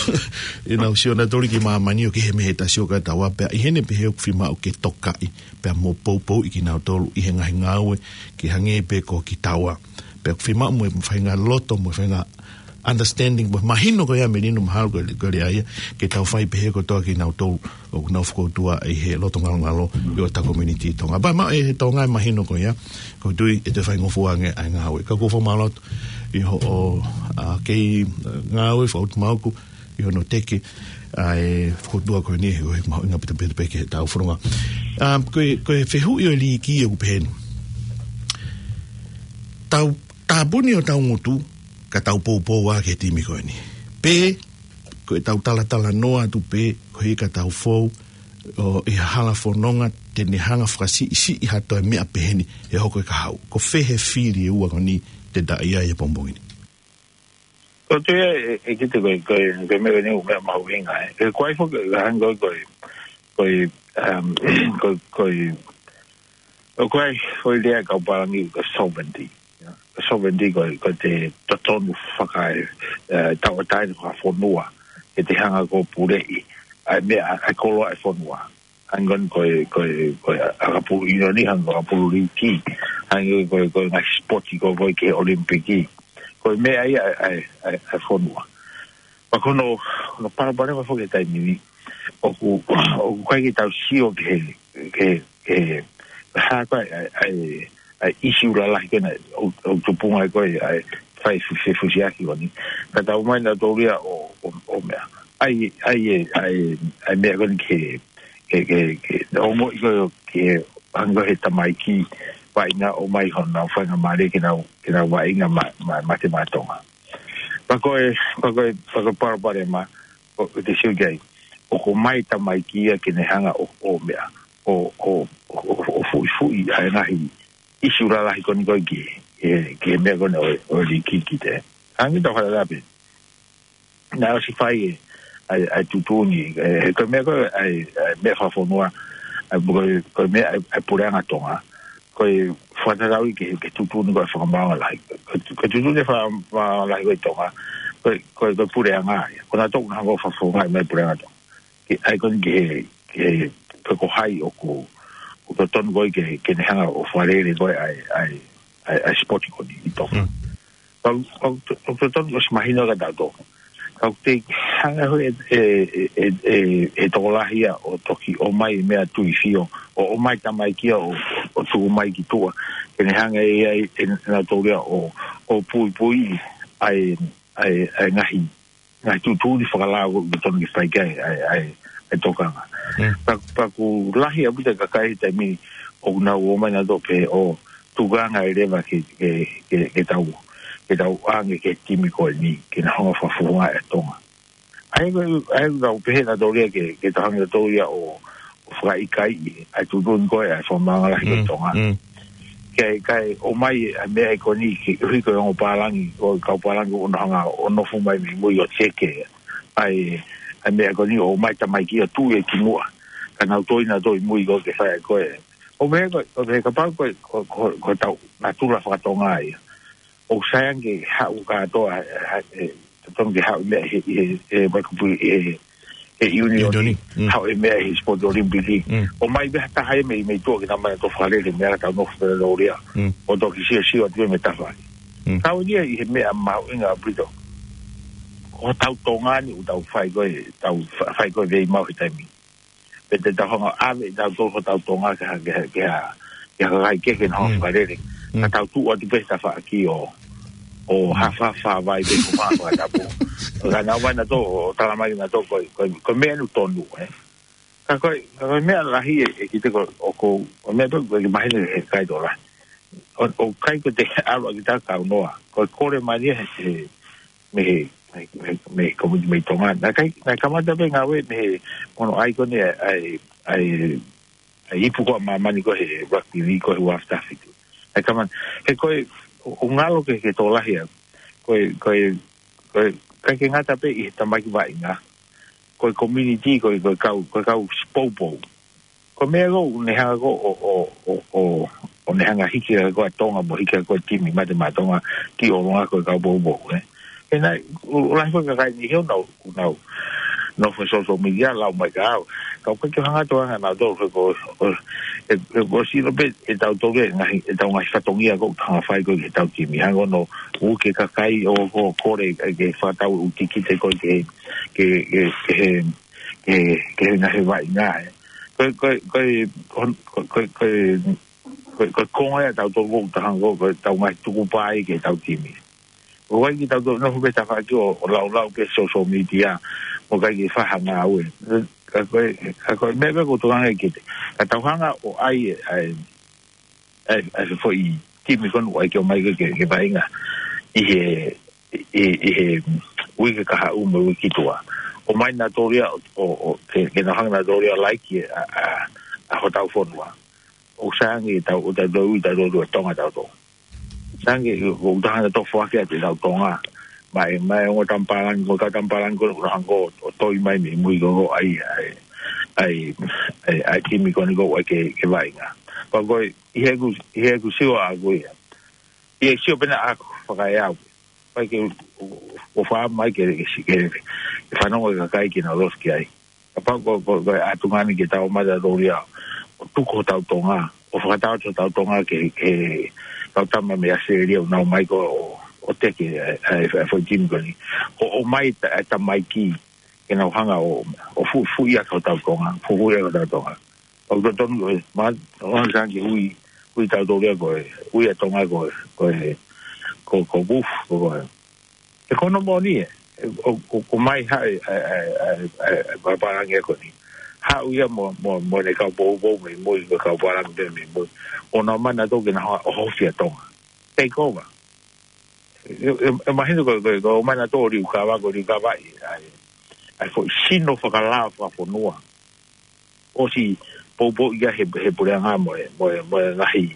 ʻenau sio nautolu ki māmani ʻo kehe mei he ta sio kia taua, pea ʻi heʻene pehē ʻoku fiemaʻu ke tokaʻi, pea mo poupouʻi kinautolu ʻi he ngaahi ngāue ke hangē pē ko kitaua. Pea ʻoku fiemaʻu mo e faʻahinga loto, mo e faʻahinga understanding, mo e mahino ko ia, Melino, mahalo ko e, ko e lea ia, ke tau fai pehē kotoa kinautolu ʻoku nau fokoutua ʻi he loto ngalongalo ʻi hota community Tonga. Pea maʻu ʻe he Tonga e mahino ko ia, ʻoku ou tui ʻe toe faingofua ange ʻa e ngāue. Ka ʻoku ou fakamālō atu ʻi hoʻo, ʻa, kei, ʻa, ngāue fakaʻutumauku ʻi hono teke ʻa e fokoutua ko eni, ʻoku mahuʻinga ʻaupito pē ki heʻetau fononga. ʻA, ko e, ko e fehuʻi ʻo e liiki ʻoku pehē ni. Tau tāpuni hotau ngutu, ka tau poupou ā ki he timi ko eni. Pe, ko ʻetau talatalanoa atu pē, koeʻuhi ka tau fou, ʻo, ʻi ha hala fononga te ne hanga fakasiʻisiʻi ha toe meʻa pehē ni ʻe hoko e kahaʻu. Ko fē he fili ʻe ua ko eni te ta ʻi ai he pongipongi ni? Ko e toe, ʻe, ʻe kite ko e, ko e, ko e meʻa ni ʻoku meʻa mahuʻinga, ē. ʻE ko ai foki, ka hangē ko e, ko e, um, ko e, ko e, ʻoku ʻi ai foʻi lea ʻa e kau pālangi ko e sovereignty. Ia. Ko e sovereignty ko e, ko e totonu faka-, ē, tauʻatāina fakafonua, ke te hanga ʻo puleʻi ʻa e meʻa, ʻa e koloa ʻa e fonua. Hangē ko e, ko e, ko e ʻakapulu ʻiunioni, hangē ko e ʻakapulu liiki, hangē ko e, ko e ngaahi sipoti ko ē, ko ē ki he ʻOlimipiki. Ko e meʻa ia ʻa e, ʻa e, ʻa e fonua. Pea ko hono, hono palopalema foki he taimi ni, ʻoku, ʻoku ʻikai ke tau sio ki he, ki he, ki he, hā ko ē ʻa e, ʻa e, ʻa e ʻīsiu lalahi ko ena ʻoku, ʻoku tupunga ai ko ē ʻa e fai fu-, fefusiaki ko eni. Ka tau ō mai nautolu ia ʻo, ʻo, ʻo meʻa. ʻAi, ʻai e, ʻai, ʻai meʻa ko eni ke, ke, ke, ke, ʻo moʻi ko ē ke hangē ko e tamaiki vaʻinga ʻomai honau faingamālie ke nau, ke nau vaʻinga ma, ma, mate maʻa Tonga. Pea ko e, pea ko e, pea ko e palopalema, ʻo, ʻo te sio ki ai. ʻOku ʻomai tamaiki ia ke ne hanga ʻo, ʻo meʻa, ʻo, ʻo, ʻo, ʻo, ʻo fuʻifuʻi ʻa e ngaahi ʻīsiu lalahi ko eni ko ē ki, ki, ki he meʻa ko eni ʻo, ʻo e liiki ki te. Hangē tau hala lape. Naʻe ʻosi fai e, ʻa e, ʻa e tuʻutuʻuni, ē, he ko e meʻa ko ē, ʻa e, ʻa e meʻa fakafonua, ʻa e, ko e, ko e meʻa, ʻa e, ʻa e puleʻanga Tonga. Ko e fakatatau ia ki he, ki he tuʻutuʻuni ko ē fakamaauʻanga lahi. Ko e, ko e tuʻutuʻuni fakamaauʻanga lahi ko ē ʻi Tonga. Ko e, ko e, ko e puleʻanga ia. Ko nautolu ʻoku nau hanga ʻo fakafofongaʻi mai e puleʻanga Tonga. Ke ʻai ko eni ki he, ki he, pe ko hai ʻoku, ʻoku totonu ko ē ke, ke ne hanga ʻo fakalele ko ē ʻa e, ʻa e, ʻa e, ʻa e sipoti ko eni ʻi Tonga. Mm. Ka, ka, ka totonu ʻosi mahino kia tautolu. Ka ʻoku te hanga ʻe he, ʻe, ʻe, ʻe, ʻe he tokolahi ia ʻo toki ʻomai meʻa tui fio, ʻo ʻomai tamaiki ia ʻo, ʻo tuku mai ki tuʻa. Ke ne hanga ʻe ia ʻe, ʻe nautolu ia ʻo, ʻo puipui ʻa e, ʻa e, ʻa e ngaahi ngaahi tuʻutuʻuni fakalao ʻoku totonu ke fai ki ai ʻa e, ʻa e, ʻa e tokanga. Mm. Pea, pea ʻoku lahi ʻaupito e kakai he taimi ni ʻoku nau ō mai nautolu pē ʻo tukuange leva ke, ke, ke, ke tau, ke tau ʻange ki he timi ko eni, ke na hanga ʻo fakafofongaʻi ʻa Tonga. ʻA ia ko e, ʻa ia ʻoku nau pehē nautolu ia ke, ke tau hanga nautolu ia ʻo, ʻo fakaʻikaiʻi ʻa e tuʻutuʻuni ko ē ʻa e fakamaauʻanga lahi ko ē ʻi Mm, Tonga. mm. Ke, kae ʻomai ʻa e meʻa ko eni ke ʻuhi ko e ongo pālangi, ko e kau pālangi ʻoku nau hanga ʻo nofo mai mei mui ʻo teke ʻa e, ʻa e meʻa ko eni ʻo ʻomai tamaiki ʻo tuʻu ia ki muʻa. Ka nau toe, nau toe ʻi mui ko ē ke fai ko ē. ʻO meʻa ko, ʻo meʻa kapau ko, ko, ko, ko ʻetau natula fakatonga ia. ʻOku sai ange ke haʻu kātoa, ʻa, ʻa, ʻe, totonu ke haʻu meʻa he, he, he, mai kupu he, he ʻiunioni, ʻiunioni, mm. Haʻu e meʻa he sipoti ʻOlimipiki. Mm. ʻOmai meʻa taha ia mei, mei tuʻa ke nau mai ʻo fakalele meʻa ka tau nofo pē ʻo lea. Mm. ʻO toki siosio atu mei tafaʻaki. Mm. Tau ia ʻi he meʻa mahuʻinga ʻaupito. Ko hotau Tonga ni ʻoku tau fai ko ē, tau fa-, fai ko ē veimau he taimi. Pe te tau hanga ʻave ʻe tautolu hotau Tonga ki ha, ki ha, ki ha, ki ha kakai kehe ke nau hanga fakalele. Ka tau tuʻu atu pē he tafaʻaki ʻo, ʻo hafahafa vai pē ko fakatapu. Ka nau ʻomai nautolu ʻo talamai nautolu ko e, ko e, ko e meʻa ʻoku tonu, ē. Ka ko e, ka ko e meʻa lahi ē, ʻe kiate au ʻoku, ko e meʻa ʻoku ou, ʻoku ou mahino he kakai tokolahi. ʻO, ʻoku ʻikai ko e te ʻalu ʻaki ʻeta kaunoa. Ko e kole mai ia he, he, mei he, mei, mei, mei he komiti mei Tonga. Naʻe ʻikai, naʻe kamata pē ngāue mei he mono aikoni ʻa e, ʻa e, ʻa e ipu ko ē ʻa māmani ko ē he rugby league ko ē he ua afe taha fitu. Naʻe kamata, he ko e, ʻo, ʻo ngalo ke, ke tokolahi ʻa, ko e, ko e, ko e, ʻikai ke ngata pē ʻi he tamaiki vaʻinga. Ko e community, ko e, ko e kau, ko e kau poupou. Ko e meʻa ko ē, ne hanga ko ē ʻo, ʻo, ʻo, ʻo, ʻo ne hanga hiki hake ko ē ʻa Tonga mo hiki hake ko ē timi mate maʻa Tonga ki ʻolunga ko e kau poupou, ē. He naʻe, ʻo, ʻo lahi ko ē kakai ni he ʻoku nau, ʻoku nau nofo he social media, lau mai kia au. Ka ʻoku ʻikai ke hanga atu ʻa nautolu he ko, ʻo, ʻe, ʻe, ʻosi ʻilo pē ʻe tautolu e ngaahi, ʻetau ngaahi fatongia ʻoku tau hanga fai ko ē ki heʻetau timi. Hangē ko hono uke kakai ʻo, ʻo kole ke fakatau e ʻū tikite ko ē ke, ke, ke, ke he, ke, ke he ngaahi vaʻinga, ē. Ko e, ko e, ko e, ko e, ko e, ko e, ko e, ko e konga ia ʻa tautolu ʻoku tau hanga ko ē, ko ʻetau ngaahi tukupā ia ki heʻetau timi. ʻOku ʻikai ke tau toe nofo pē he tafaʻaki ʻo, ʻo laulau pē he social media, ʻoku ʻikai ke fai ha ngāue. Ka ko e, ka ko e meʻa pē ʻoku ou tokanga ki ai. Ka tau hanga ʻo ʻai e, ʻai, ʻai, ʻai e foʻi timi ko eni ʻoku ʻai ke ō mai ke, ke, ke vaʻinga ʻi he, ʻi, ʻi he uike kahaʻu mo e uike ki tuʻa. ʻOmai nautolu ia ʻo, ʻo, ʻo, ke, ke nau hanga nautolu ia ʻo laiki ʻa, ʻa, ʻa hotau fonua. ʻOku sai ange ʻetau, ʻo tau ui, tau ui ʻa Tonga tautolu. Sai ange, ʻoku tau hanga ʻo foaki atu ʻetau Tonga. Mai, mai ongo tampalani, ko e kau tampalani ko ē ʻoku nau hanga ʻo, ʻo toi mai mei mui ko ē ʻo ʻai, ʻai, ʻai, ʻai, ʻai timi ko eni ʻoku ʻai ke, ke vaʻinga. Pea ko e, ʻi heʻeku, ʻi heʻeku sio ʻaʻaku ia. ʻI he sio pē ena ʻaʻaku fakaeau. ʻIkai ke u, u, u fai mai ke, ke, ke, ke fanongo e kakai ke nau loto ki ai. Kapau ko, ko, ko e ʻatunga ni ke tau ō mai tautolu ia ʻo tuku hotau Tonga, ʻo fakatau atu hotau Tonga ki he, ki he kau tama mei ʻAositelēlia ʻoku nau ō mai ko ē ʻo, ʻo teke e, e, e foʻi timi ko eni. ʻO, ʻomai ta, e tamaiki ke nau hanga ʻo, ʻo fuʻu, fuʻu ia hotau Tonga, fuʻu, fuʻu ia hotau Tonga. ʻOku totonu ko e, ma, ʻoku hanga ke ui, ui tautolu ia ko e, ui ʻa Tonga ko e, ko e, ko, ko Wolf, ko, ko e. He ko hono moʻoni ē, ʻo, ʻo, ʻomai ha e, e, e, e, e, e, kau pālangi ko eni. Haʻu ia mo, mo, mo ʻene kau poupou mei mui, mo e kau pālangi pē mei mui. ʻO nau ō mai nautolu ke nau hanga ʻo hofi ʻa Tonga. Take over. ʻE, ʻe, ʻe mahino ko, ko, ko ʻomai nautolu ʻo liukava, ko e liukava ʻi, ʻa e, ʻa e foʻi sino fakalao fakafonua. ʻOsi poupou ia he, he puleʻanga mo e, mo e, mo e ngaahi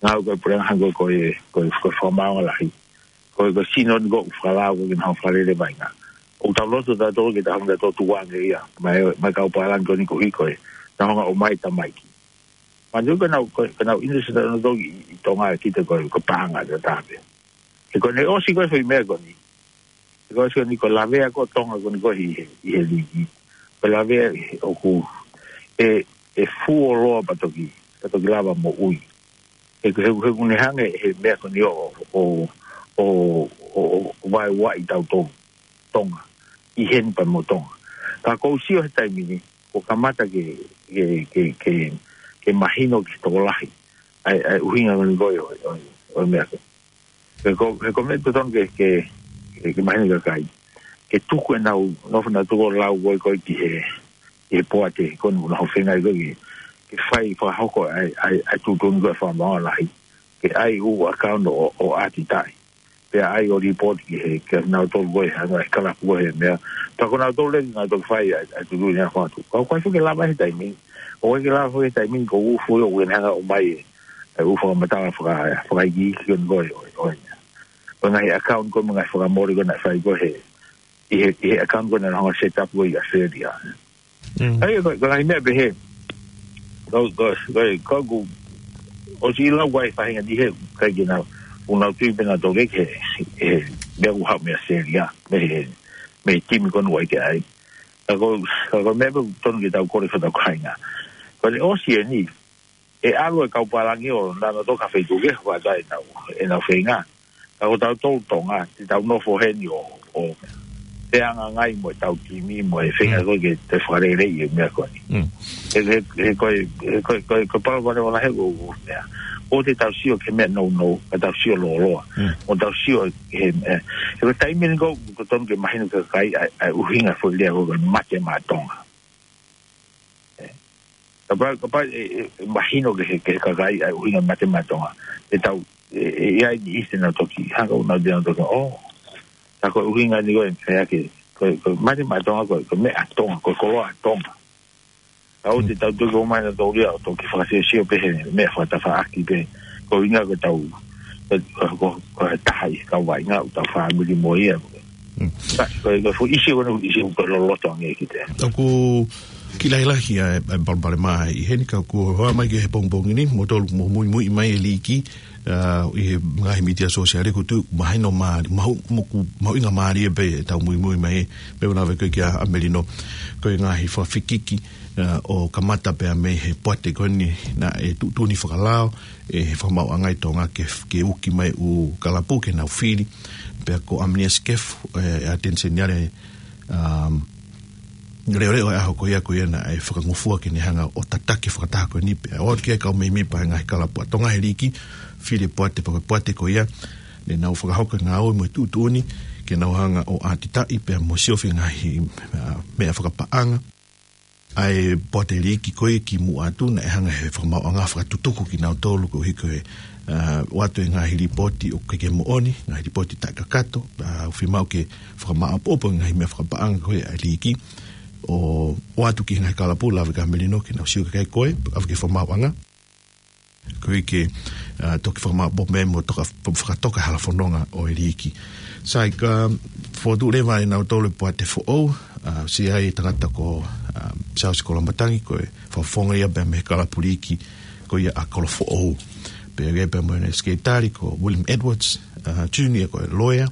ngāue ko e puleʻanga hangē ko e, ko e, ko e fakamaauʻanga lahi. Ko e, ko e sino ni ʻoku fakalao ko ē ke nau fakalele vaʻinga. ʻOku tau loto tautolu ke tau hanga ʻo tukuange ia. Mai, mai kau pālangi ko eni ko ē ko e. Nau hanga ʻo ʻomai tamaiki. Manatuʻi ko ʻenau, ko, ko ʻenau interest ʻanautolu ʻi, ʻi Tonga ʻe kita ko e, ko e paʻanga ʻataʻatā pē. He ko ʻene ʻosi ko ē foʻi meʻa ko eni. He ko e ʻosi ko eni ko e lavea ko ē ʻa Tonga ko eni ko ē ʻi he, ʻi he liki. Ko e lavea ʻoku, ʻe, ʻe fuoloa pea toki, pea toki lava moʻui. He, he, he ʻoku ne hanga ʻe he meʻa ko eni ʻo, ʻo, ʻo, ʻo, ʻo vaeua ʻi tautolu Tonga. ʻI heni pea mo Tonga. Ka ʻoku ou sio he taimi ni, ʻoku kamata ke, ke, ke, ke, ke mahino ki he tokolahi. ʻA e, ʻa e ʻuhinga ko eni ko ē ʻo, ʻo, ʻo e meʻa ko ē. He ko, he ko e meʻa totonu ke, ke, ke, ke mahino ki he kakai. Ke tuku ʻenau, nofo nautolu ʻo lau ko ē ko ē ki he, ki he poate, ko eni ʻoku nau feinga ai ko ē ke, ke fai fakahoko ʻa e, ʻa e, ʻa e tuʻutuʻuni ko ē ʻa e fakamaauʻanga lahi. Ke ʻai ʻū account ʻo, ʻo ʻatitaʻi. Pea ʻai ʻo report ki he, kia nautolu ko ē, hanga ʻe he kalapu ko ē he meʻa. Pea ko nautolu leva nautolu fai ʻa e, ʻa e tuʻutuʻuni ʻa e fatu. Ka ʻoku ʻikai foki ke lava he taimi ni. ʻOku ʻikai ke lava he taimi ni ko e ufu ʻoku ne hanga ʻo ʻomai e, e ʻū fakamatala faka-, fakaikiiki ko eni ko ē, ʻo, ʻo, ʻo e ngaahi account ko ē mo e ngaahi fakamole ko ē naʻe fai ko ē he, ʻi he, ʻi he account ko ē naʻe hanga ʻo set up ko ē ʻi ʻAositelēlia. Mm. ʻA ia, ko, ko e ngaahi meʻa pehē. Ko, ko, ko, ko, ko, ʻosi lau ko ē faʻahinga ni he, ʻikai ke nau, ʻoku nau tui pē nautolu ki he, he, meʻa ʻoku haʻu mei ʻAositelēlia, mei he, mei he timi ko eni ʻoku ʻai ke ʻai. Ka ko, ka ko e meʻa pē ʻoku totonu ke tau kole ki hotau kāinga. Ko ʻene ʻosi eni, ʻe ʻalu e kau pālangi ʻo nau ō ki ha feituʻu kehe ʻo fai ʻenau, ʻenau feinga. Ka ko tautolu Tonga, te tau nofo heni ʻo, ʻo, feangainga mo ʻetau timi, mo e feinga ko ē ke te fakaleleiʻi e meʻa ko eni. Mm. He, he, he ko e, he ko e, ko e, ko e palopalema lahi ko e meʻa. ʻOua te tau sio ki he meʻa nounou, ka tau sio lōloa. Mm. ʻO tau sio he, he, he ko e taimi ni ko, ko tonu ke mahino ki he kakai ʻa e, ʻa e ʻuhinga foʻi lea ko e mate maʻa Tonga. Kapau, kapau ʻe, ʻe, ʻe mahino ki he, ki he kakai ʻa e ʻuhinga mate maʻa Tonga. ʻE tau, ʻe, ʻe, ʻe ʻi ai ni ʻi te nau toki, hanga ʻo nau te nau toki, oh, tā ko e ʻuhinga ni ko e fea ke, ko, ko mate maʻa Tonga, ko, ko meʻa Tonga, ko koloa Tonga. Ka ʻoua te tau toki ʻomai nautolu ia ʻo toki fakasiosio pē he meʻa fakatafaʻaki pē. Ko e ʻuhinga ko e tau, ko, ko, ko e taha ʻi he kau vaʻinga ʻoku tau fāmili mo ia. Mm. Ka, ko e, ko e fuʻu ʻīsiu ko eni, fuʻu ʻīsiu ko e loloto ange ki te. ʻOku kiʻi lahilahi ʻa e, ʻa e palopalema ʻi heni ka ʻoku hoa mai ki he pongipongi ni, mo tolu mo muimui mai e liiki, ʻa, ʻi he ngaahi mītia sōsiale ʻoku tuʻu mahino mālie, mahu, moku, mahuʻinga mālie pē ʻetau muimui mai, pea ʻoku ou lave ko ē kia ʻAmelino, ko e ngaahi fakafekiki, ʻa, ʻo kamata pea mei he poate ko eni naʻe tuʻutuʻuni fakalao ʻe he fakamaauʻanga ʻi Tonga ke, ke uki mai ʻū kalapu ke nau fili. Pea ko ʻAmenia Sikefu, ʻe, ʻa Teniseni Ale, um, leʻoleʻo e ʻaho ko ia ko ia naʻe fakangofua ke ne hanga ʻo tataki fakataha ko eni pea ʻoatu ki he kau mēmipa e ngaahi kalapu ʻa Tonga he liiki, fili e poate pea ko e poate ko ia, ne nau fakahoko e ngāue mo e tuʻutuʻuni, ke nau hanga ʻo ʻātitaʻi pea mo siofi e ngaahi, ʻa, meʻa fakapaʻanga. ʻA e poate liiki ko ē kimuʻa atu naʻe hanga he fakamaauʻanga fakatutuku kinautolu koeʻuhi ko e, ʻa, ʻoatu e ngaahi lipooti ʻoku ʻikai ke moʻoni, ngaahi lipooti taʻekakato, ʻa, ʻoku fiemaʻu ke fakamāʻopoʻopo e ngaahi meʻa fakapaʻanga ko ē ʻa e liiki, ʻo, ʻoatu ki he ngaahi kalapu, lave kia ʻAmelino ke nau sio ki ai ko ē, ʻave ki he fakamaauʻanga. Koeʻuhi ke, ʻa, toki fakamāʻopoʻopo mo toka, fakatoka e hala fononga ʻo e liiki. Sai, ka fokotuʻu leva ʻe nautolu e poate foʻou, ʻa, ʻosi ʻi ai e tangata ko, ʻa, Siaosi Koloamatangi, ko e fakafofonga ia pea mei he kalapu liiki ko ia ʻa Kolofoʻou. Pea ʻi ai pea mo e sekelitali ko William Edwards, ʻa, Junior ko e loea,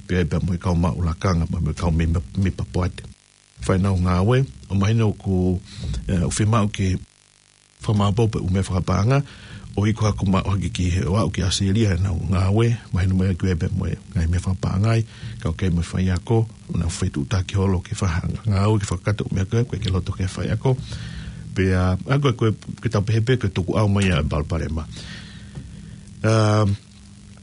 pea ʻi ai pea mo e kau maʻu lakanga, pea mo e kau mēmipa, mēmipa poate. Fai ʻenau ngāue, ʻo mahino ʻoku, ʻe, ʻoku fiemaʻu ke fakamāʻopoʻopo e ʻū meʻa fakapaʻanga, ʻo iku hake mai ʻo hake ki he ʻo aʻu ki ʻAositelēlia ʻenau ngāue, mahino mai ʻoku ʻi ai pea mo e ngaahi meʻa fakapaʻanga ai, kau ki ai mo e faiako, ʻo nau fetuʻutaki holo ke fakahanga ngāue ke fakakakato e ʻū meʻa ko ē, ʻoku ʻikai ke loto ki ai e faiako. Pea, ʻa, ko e, ko e, ke tau pehē pē ko e tukuʻau mai ʻa e palopalema. Um,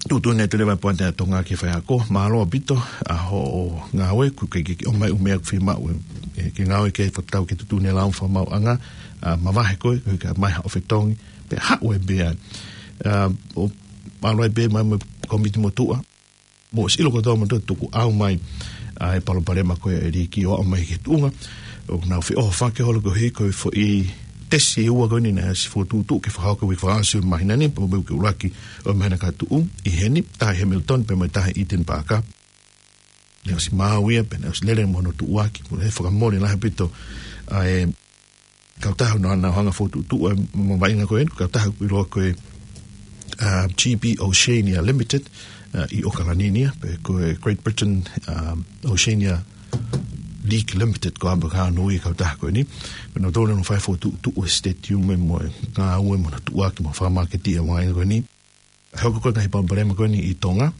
Tuʻutuʻuni atu leva e poate ʻa Tonga ki he faiako, mālō ʻaupito, ʻa hoʻo ngāue, ʻoku ke, ke, ke ʻomai e ʻū meʻa ʻoku fiemaʻu, ʻe, ke ngāue ki ai fakatau ki he tuʻutuʻuni e lao fakamaauʻanga, ʻa, mavahe koe, koeʻuhi kae ʻomai haʻo fetongi, pea haʻu ai pē ai. ʻA, ʻo, mālō ai pē mai mo e kōmiti motuʻa, mou ʻosi ʻilo kotoa mo toe tukuʻau mai, ʻa, e palopalema ko ē ʻa e liiki ʻo aʻu mai ki he tuʻunga ʻoku nau feʻohofaki holo koeʻuhi ko e foʻi tesi ʻe ua ko eni naʻe ʻosi fokotuʻutuʻu ke fakahoko he uike fakaʻosi ʻo e māhina ni, pea mo e uike ʻuluaki ʻo e māhina ka tuʻu ʻi heni, taha ʻi Hamilton pea mo e taha ʻi Eden Park. Naʻe ʻosi maau ia, pea naʻe ʻosi lele mo hono tuʻuaki, mo e fakamole lahi ʻaupito ʻa e kautaha naʻa nau hanga fokotuʻutuʻu e mavaheʻanga ko eni, kautaha ʻoku ʻiloa ko e, ʻa, G B Oceania Limited, ʻa, ʻi ʻAokalani ni ia, pe ko e Great Britain, ʻa, Oceania League Limited ko e ʻapaʻanga ʻo e kautaha ko eni. Pea nautolu naʻa nau fai e fokotuʻutuʻu e stadium mo e ngāue mo hono tuʻuaki mo e fakamāketi ʻa e mavaheʻanga ko eni. Hoko ko e ngaahi palopalema ko eni ʻi Tonga,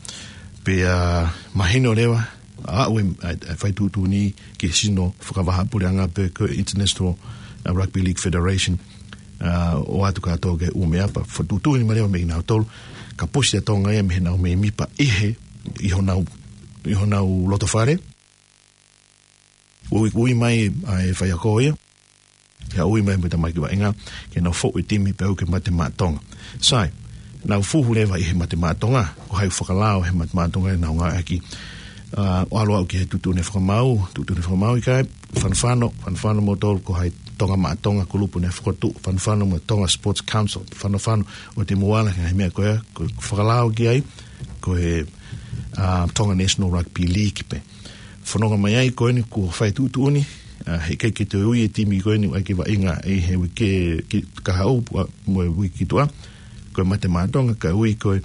pea mahino leva, ʻa, ʻoku ʻi ai e, ʻa, ʻa e fai tuʻutuʻuni ki he sino fakavahaʻapuleʻanga pe ko e International, ʻa, Rugby League Federation, ʻa, ʻoatu kātoa ki he ʻū meʻa pea fokotuʻutuʻuni mai leva mei nautolu, kapusi ʻa Tonga ia mei heʻenau mēmipa ʻi he, ʻi honau, ʻi honau lotofale, ui, ui mai ʻa e faiako ia, ke ui mai mo e tamaiki vaʻinga, ke nau foʻu e timi pea ui ki he Mate Maʻa Tonga. Sai, nau fuhu leva ʻi he Mate Maʻa Tonga, ko hai ʻoku fakalao he Mate Maʻa Tonga ʻenau ngāueʻaki. ʻA, ʻo ʻalu aʻu ki he tuʻutuʻuni fakamaau, tuʻutuʻuni fakamaau ʻikai, fanofano, fanofano moutolu ko hai Tonga Maʻa Tonga kulupu naʻe fokotuʻu, fanofano mo e Tonga Sports Council, fanofano ʻoua te mou ala ki he ngaahi meʻa ko ia, ko e fakalao ki ai, ko e, ʻa, Tonga National Rugby League pē. Fononga mai ai ko eni kuo fai tuʻutuʻuni, ʻa, heʻikai ke toe ui e timi ko eni ʻoku ʻai ke vaʻinga ʻi he uike ki, kahaʻu, ʻa, mo e uike ki tuʻa, ko e Mate Maʻa Tonga, kae ui ko e,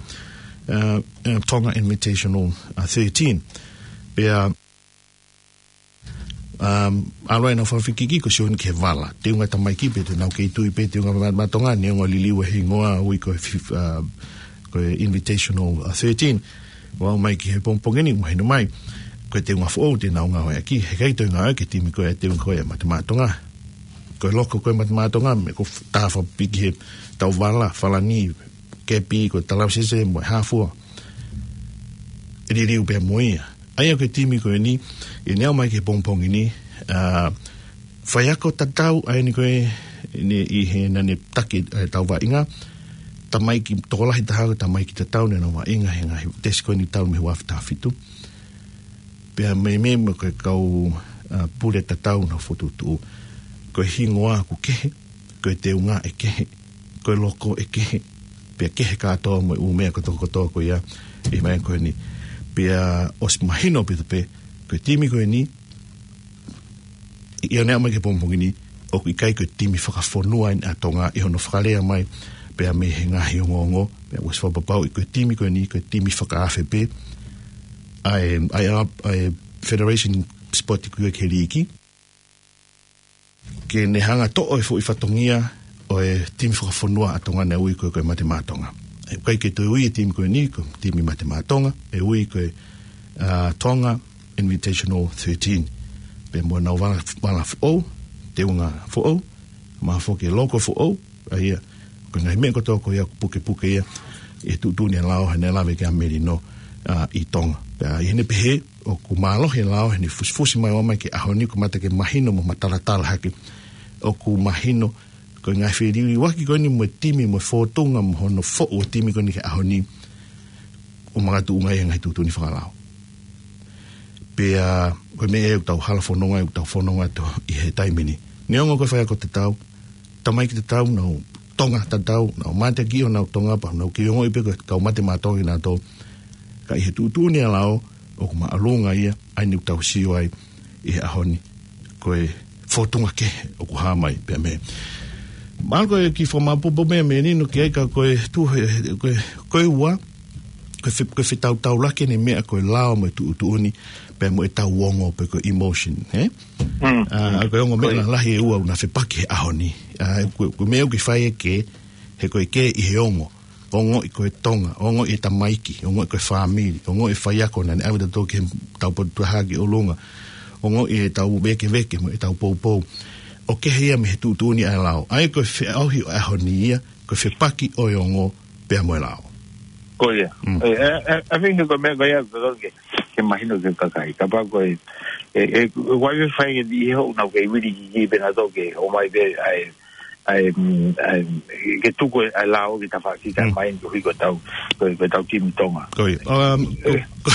ʻa, ʻa, Tonga Invitational, ʻa, thirteen. Pea, um, ʻalu ai ʻenau fakafekiki ko e sio eni ki he vala. Teunga tamaiki pea te nau kei tui pē teunga Mate Maʻa Tonga, neongo e liliu e hingoa ui ko e fif-, ʻa, ko e Invitational, ʻa, thirteen. ʻO aʻu mai ki he pongipongi ni, mahino mai. ko e teunga foʻou te nau ngāueʻaki, heʻikai toe ngāueʻaki e timi ko ē, teunga ko ē ʻa Mate Maʻa Tonga. Ko e loko ko ē ʻa Mate Maʻa Tonga, mo e ko e tā fakapiki he tau vala, falani, kepi, ko e talausese, mo e hā fua. ʻE liliu pē mo ia. ʻA ia ko e timi ko eni, ʻi heʻene aʻu mai ki he pongipongi ni, ʻa, faiako tatau, ʻa eni ko ē, ʻi heʻene, ʻi he naʻa ne taki, ʻa e tau vaʻinga, tamaiki, tokolahi taha ko e tamaiki tatau naʻa nau vaʻinga he ngaahi tesi ko eni talu mei he ua afe taha fitu. Pea meimei mo e kau, ʻa, pule tatau naʻa nau fokotuʻutuʻu. Ko e hingoa ʻoku kehe, ko e teunga ʻe kehe, ko e loko ʻe kehe, pea kehe kātoa mo e ʻū meʻa kotoa kotoa ko ia, ʻi he meʻa ko eni. Pea ʻosi mahino pē pē, ko e timi ko eni, ʻi heʻene aʻu mai ki he pongipongi ni, ʻoku ʻikai ko e timi fakafonua eni ʻa Tonga ʻi hono fakalea mai, pea mei he ngaahi ongoongo, pea ʻosi fakapapauʻi ko e timi ko eni, ko e timi fakaafe pē, ʻa e, ʻa e, ʻa e Federation Sport ko ia ki he liiki, ke ne hanga toʻo e foʻi fatongia ʻo e timi fakafonua ʻa Tonga naʻe ui ko ē ko e Mate Maʻa Tonga. ʻE ʻikai ke toe ui e timi ko eni ko e timi Mate Maʻa Tonga, ʻe ui ko e, ʻa, Tonga Invitational thirteen. Pea mo ʻenau vala, vala foʻou, teunga foʻou, mo e foki e loko foʻou, ʻa ia, ko e ngaahi meʻa kotoa ko ia ʻoku pukepuke ia, ʻi he tuʻutuʻuni ʻa e lao, he naʻe lave ki ai ʻa Melino, ʻa, ʻi Tonga. Pea ʻi heʻene pehē, ʻoku mālohi e lao, heʻene fusifusi mai ʻo aʻu mai ki he ʻaho ni, ʻoku mata ke mahino mo matalatala hake. ʻOku mahino, ko e ngaahi feliuliuaki ko eni mo e timi, mo e fōtunga, mo hono foʻu e timi ko eni ki he ʻaho ni, ʻoku makatuʻunga ia he ngaahi tuʻutuʻuni fakalao. Pea, ko e meʻa ʻoku tau hala fononga, ʻoku tau fononga atu ʻi he taimi ni. Neongo ko e faiako tatau, tamaiki tatau, nau Tonga tatau, nau mateakiʻi honau Tonga, pea nau kei ongoʻi pē ko e kau Mate Maʻa Tonga kinautolu. Ka ʻi he tuʻutuʻuni ʻa e lao, ʻoku māʻolunga ia, ʻa eni ʻoku tau sio ai, ʻi he ʻaho ni, ko e fōtunga kehe ʻoku hā mai pea mei. Mahalo ko e kiʻi fakamāʻopoʻopo meʻa Melino ki ai ka ko e tuʻu he, ko e, ko e ua, ko e fe-, ko e fetautaulaki eni meʻa ko e lao mo e tuʻutuʻuni, pea mo e tau ongo pe ko e emotion, he? Mm, ʻA, mm. Ko e ongo meʻa lalahi ʻe ua ʻoku na fepaki he ʻaho ni. ʻA, ko, ko e meʻa ʻoku ke fai ʻe ke, he ko e ke ʻi he ongo. Ongoʻi ko e Tonga, ongoʻi e tamaiki, ongoʻi ko e fāmili, ongoʻi e faiako naʻa ne ʻave tautolu ki he tau potu taha ki ʻolunga, ongoʻi e tau vēkeveke mo e tau poupou. ʻOku kehe ia mei he tuʻutuʻuni ʻa e lao. ʻA ia ko e feʻauhi ʻo e ʻaho ni ia, ko e fepaki ʻo e ongo pea mo e lao. Ko ia. Mm. ʻE, ʻe, ʻe, I think ko e meʻa ko ia, ko e ke, ke mahino ki he kakai. Kapau ko e, ʻe, ʻe, ʻe, ʻoku ʻi ai e fai ʻe niʻihi ʻoku nau kei vili ki ki pē nautolu ke ʻomai pē ʻa e, ʻa e, mm, ʻa e, ke tuku ʻa e lao ki tafaʻaki ka Mm. mai ni ko hiko tau, ko, ko e tau timi Tonga. Ko ia. Um, ko, ʻE. ko,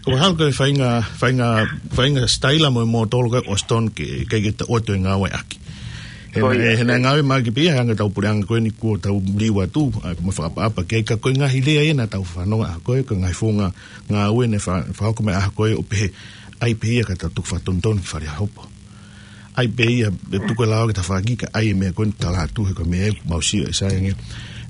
ko mahalo ko e faʻahinga, faʻahinga, faʻahinga sitaila mo e mōtolo ko ē ʻo Austin ke, ke, ke ta oto e ngāueʻaki. He Ko ia. he naʻe ngāue mai ki pē ia, he anga tau puleʻanga ko eni kuo tau liu atu, ʻa, mo fakaʻapaʻapa ki ai ka ko e ngaahi lea ia naʻa tau fanongo ʻa ko ē, ko e ngaahi founga ngāue naʻe fa-, fakahoko mai ʻa ko ē ʻo pehē, ʻai pē ia ka tau tuku fakatonutonu ki Fale Hopo. ʻAi pē ia, ʻe tuku e lao ki tafaʻaki ka ʻai e meʻa ko eni tala atu he ko e meʻa ʻoku mau sio ʻe sai ange.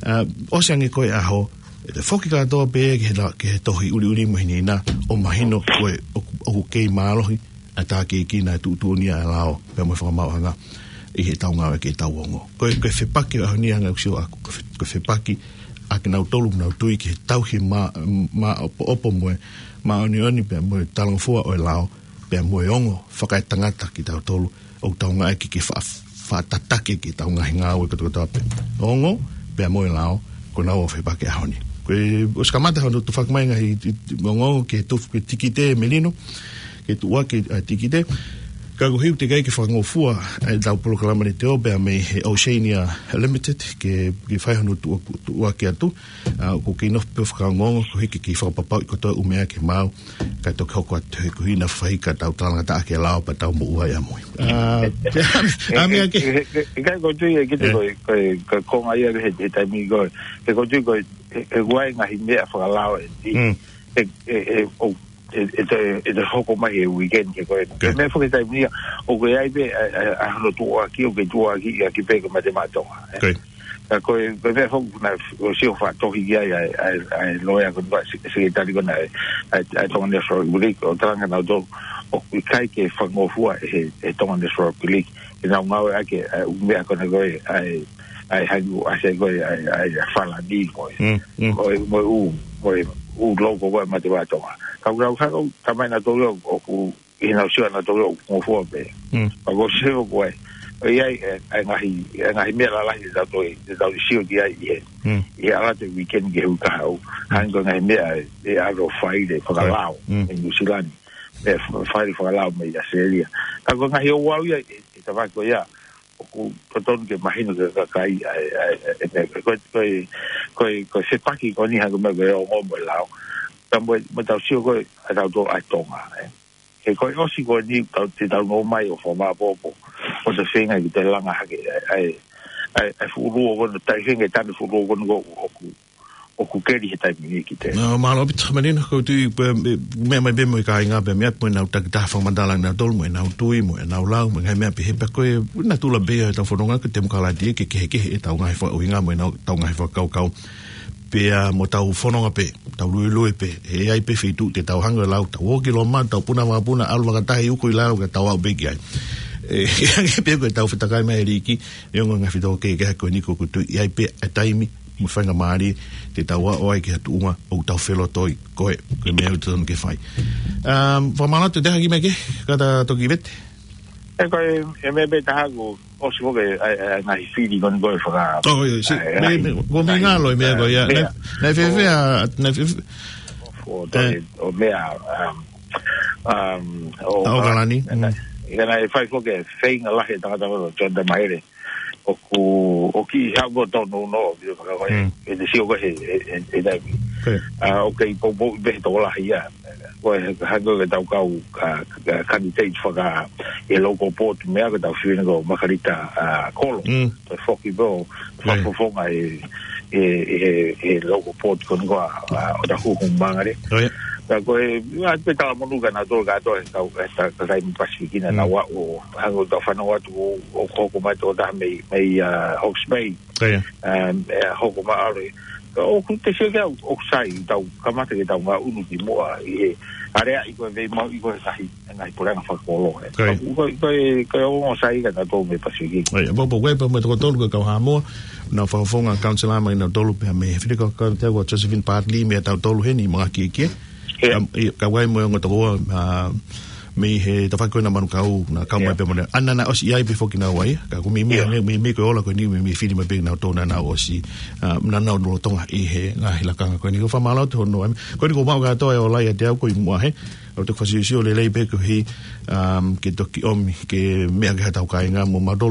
ʻA, ʻosi ange ko e ʻaho, ʻe te foki kātoa pē ki he la-, ki he tohi ʻuliʻuli mo hinehina, ʻo mahino ko e ʻoku, ʻoku kei mālohi, ʻa e tākiekina e tuʻutuʻuni ʻa e lao, pea mo e fakamaauʻanga ʻi he tau ngāue ki he tau ongo. Ko e, ko e fepaki ʻaho ni anga ʻoku sio ʻaku, ko e fe-, ko e fepaki ʻa kinautolu ʻoku nau tui ki he tauhi mā-, māʻopoʻopo mo e, māʻoniʻoni pea mo e talangofua ʻo e lao, pea mo e ongo fakaetangata kitautolu, ʻoku tau ngāueʻaki ke fa-, fakatataki ki he tau ngaahi ngāue kotokotoa pē. Ongo, pea mo e lao, ko ʻenau ʻofa pē ki he ʻaho ni. Ko e, ʻosi kamata hono tufaki mai ngaahi, i, i, ongo, ke tufu, ke tikite Melino, ke tuʻuaki, ʻa, tikite. Ka ko e hiu te kai ke fakangofua, ʻa e tau polokalama ni te o, pea mei he Oceania Limited, ke, ke fai hono tuʻu-, tuʻuaki atu, ʻa, ʻoku kei nofo pē ʻo fakaongoongo, ko e hiki ke fakapapauʻi kotoa e ʻū meʻa ke maau, ka toki hoko atu he kuhina fai ka tau talangataʻa ki he lao pea tau moʻua ia mui. ʻA, ʻa, meʻa ke. He, he, he kai ko tui e kite Eh. ko e, ko e, ko e konga ia he, he taimi ko e, he ko tui ko e, he, he ʻoku ʻi ai ngaahi meʻa fakalao ʻe, Mm. he, he, he, ʻo, he, he te, he te hoko mai he weekend he ko e. Okay. He meʻa foki taimi ia, ʻoku ʻi ai pē, ʻa, ʻa, ʻa, hono tuʻuaki, ʻoku kei tuʻuaki ia ki pē ko Mate Maʻa Tonga, eh. Okay. Ka ko e, ko e meʻa foki naʻe, ʻosi ʻo fakatohi ki ai, ʻa e, ʻa e, ʻa e loea ko e se-, sekitali ko ena, ʻa e, ʻa e, ʻa e Tonga National Rugby League, ʻo talanga nautolu, ʻoku ʻikai ke fakangofua he, he Tonga National Rugby League, ke nau ngāueʻaki, ʻa e, ʻū meʻa ko ena ko e, ʻa e, ʻa e hangu, ʻa e ko e, ʻa e, ʻa e, ʻa e falani ko e. Mm, mm. Ko e, mo e ʻū, mo e, ʻū local ko ē Matevaʻa Tonga. Ka ʻoku nau hanga ʻo talamai nautolu ʻoku ʻi heʻenau sio ʻanautolu ʻoku ngofua pē. Mm. Pea ko e sio ko ē, ʻoku ʻi ai e, e ngaahi, e ngaahi meʻa lalahi te tau toe, te tau sio ki ai ʻi he, Mm. ʻi he ʻalu atu e weekend ki he uike kahaʻu. Hangē ko e ngaahi meʻa ʻe, ʻe ʻalu ʻo fai e fakalao, Mm. ʻi Nuʻusila ni. ʻE f-, fai e fakalao mei ʻAositelēlia. Ka ko e ngaahi ouau ia, ʻe, ʻe talamai ko ia, ʻoku totonu ke mahino ki he kakai, ʻa e, ʻa e, ʻa e, ʻa e, ko e, ko e, ko e, ko e fepaki ko eni hangē ko e meʻa ko e ongo mo e lao. Ka mo e, mo ʻetau sio ko ē, ʻa tautolu ʻa Tonga, ē. He ko e ʻosi ko eni tau, te tau nofo mai ʻo fakamāʻopoʻopo. ʻO se feinga ke toe langa hake, ʻa e, ʻa e, ʻa e, ʻa e fuʻu luo ko eni, tai feinga tanu fuʻu luo ko eni ko ʻoku, ʻoku keli he taimi ni ki te. Nā, mālō ʻaupito, Malina, ko e tui, pē, meʻa mai pē mo e kāinga pē, meʻa pē mo ʻenau takitaha fakamatala nautolu, mo ʻenau tui, mo ʻenau lau, mo e ngaahi meʻa pehē pē ko e, natula pē ʻetau fononga ko e temokalati ke kehekehe ʻetau ngaahi fakaʻuhinga mo ʻenau, ʻetau ngaahi fakakaukau. Pea mo ʻetau fononga pē, tau luelue pē, ʻe ʻi ai pē feituʻu te tau hanga ʻo lau, tau ō ki Loma, tau puna vakapuna, ʻalu fakataha ʻi uku ʻi lalo, ka tau aʻu pē ki ai. ʻE, hangē pē ko ʻetau fetakai mai ʻEiki, neongo e ngaahi fetōkehekehe ko eni, ko e tui ʻe ʻi ai pē e taimi, mo e faingamālie, te tau aʻu ai ki ha tuʻunga ʻoku tau felotoi, ko e, ko e meʻa ʻoku totonu ke fai. Um, fakamālō atu, te haki mai ke, ka ta toki vete. ʻE ko e, e meʻa pē taha ko, ʻosi ko e, ʻa e, ʻa e ngaahi fili ko eni ko e faka-, Oh, ʻio, si-, ʻa e, me, ʻa e, me, ko e meʻa ngalo e meʻa ko ia. Meʻa. Naʻe, naʻe fēfē, naʻe fēfē. ʻO, ʻo, ʻo meʻa, um, um, ʻo, ʻa ʻAokalani. Naʻe, naʻe fai ko e feinga lahi e tangata ko John Tamahere. ʻOku, ʻoku ʻi he ʻaho tonu no, ʻi he faka-, Mm. ʻe te sio ko e he, he, he, he taimi. Okay. ʻA, ʻoku kei poupou pē he tokolahi ia. Ko e hangē ko ʻetau kau, ʻa, ʻa, candidate faka-, ʻi he local board meʻa ko ʻetau fiu ni ko Makarita, ʻa, Kolo. Mm. Toe foki pē ʻo, Yeah. fakafofonga ʻi he, ʻi he, ʻi he, ʻi he local board ko eni ko ʻa, ʻa, ʻOtahuhu Mangere. Oh, yeah. Ka ko e, ʻa, pē talamonū kia nautolu kātoa, e kau, e ta-, kakai mei Pasifiki na Mm. naua ʻo, hangē ko ʻetau fanongo atu ʻo, ʻo hoko mai ʻa e tokotaha mei, mei, ʻa, Hawke's Bay. Oh, yeah. Um, ʻe hoko mai ʻalu. Ka ʻoku te sio ki ai ʻoku sai, tau kamata ke tau ngaʻunu ki muʻa ʻi he, ʻa e ʻai ko e vei mau ʻi ko e ngaahi, ngaahi puleʻanga fakakolo, ē. Ko ia. Ko, ko, ko e ongo sai kia nautolu mei Pasifiki. Ko ia, pau pē ko e pau mo e toko tolu ko e kau Haʻamoa, naʻa nau fakafofonga council mai nautolu pea mei he fili ko e kau te ko Josephine Bartley mei tautolu heni, Mangakiekie. Ia. Ka, ia, ka ʻoku ʻi ai mo e ongo tokoua, ʻa, mei he tafaʻaki ko ena Manukau, naʻa kau mai Ia. pē mo ne. ʻAna naʻe ʻosi ʻi ai pē foki naua ia, ka ko e meimei Ia. hangē, meimei ko e ola ko eni, meimei fili mai pē nautolu naʻa nau ʻosi, ʻa, naʻa nau lolotonga ʻi he ngaahi lakanga ko eni. Ko e fakamālō atu hono, ʻa, ko eni ko mau kātoa e ola ia te au ko i mua he, ʻoku te fakasiosio lelei pē ko e hā, um, ke toki ʻomi, ke meʻa ki haʻatau kāinga mo mautolu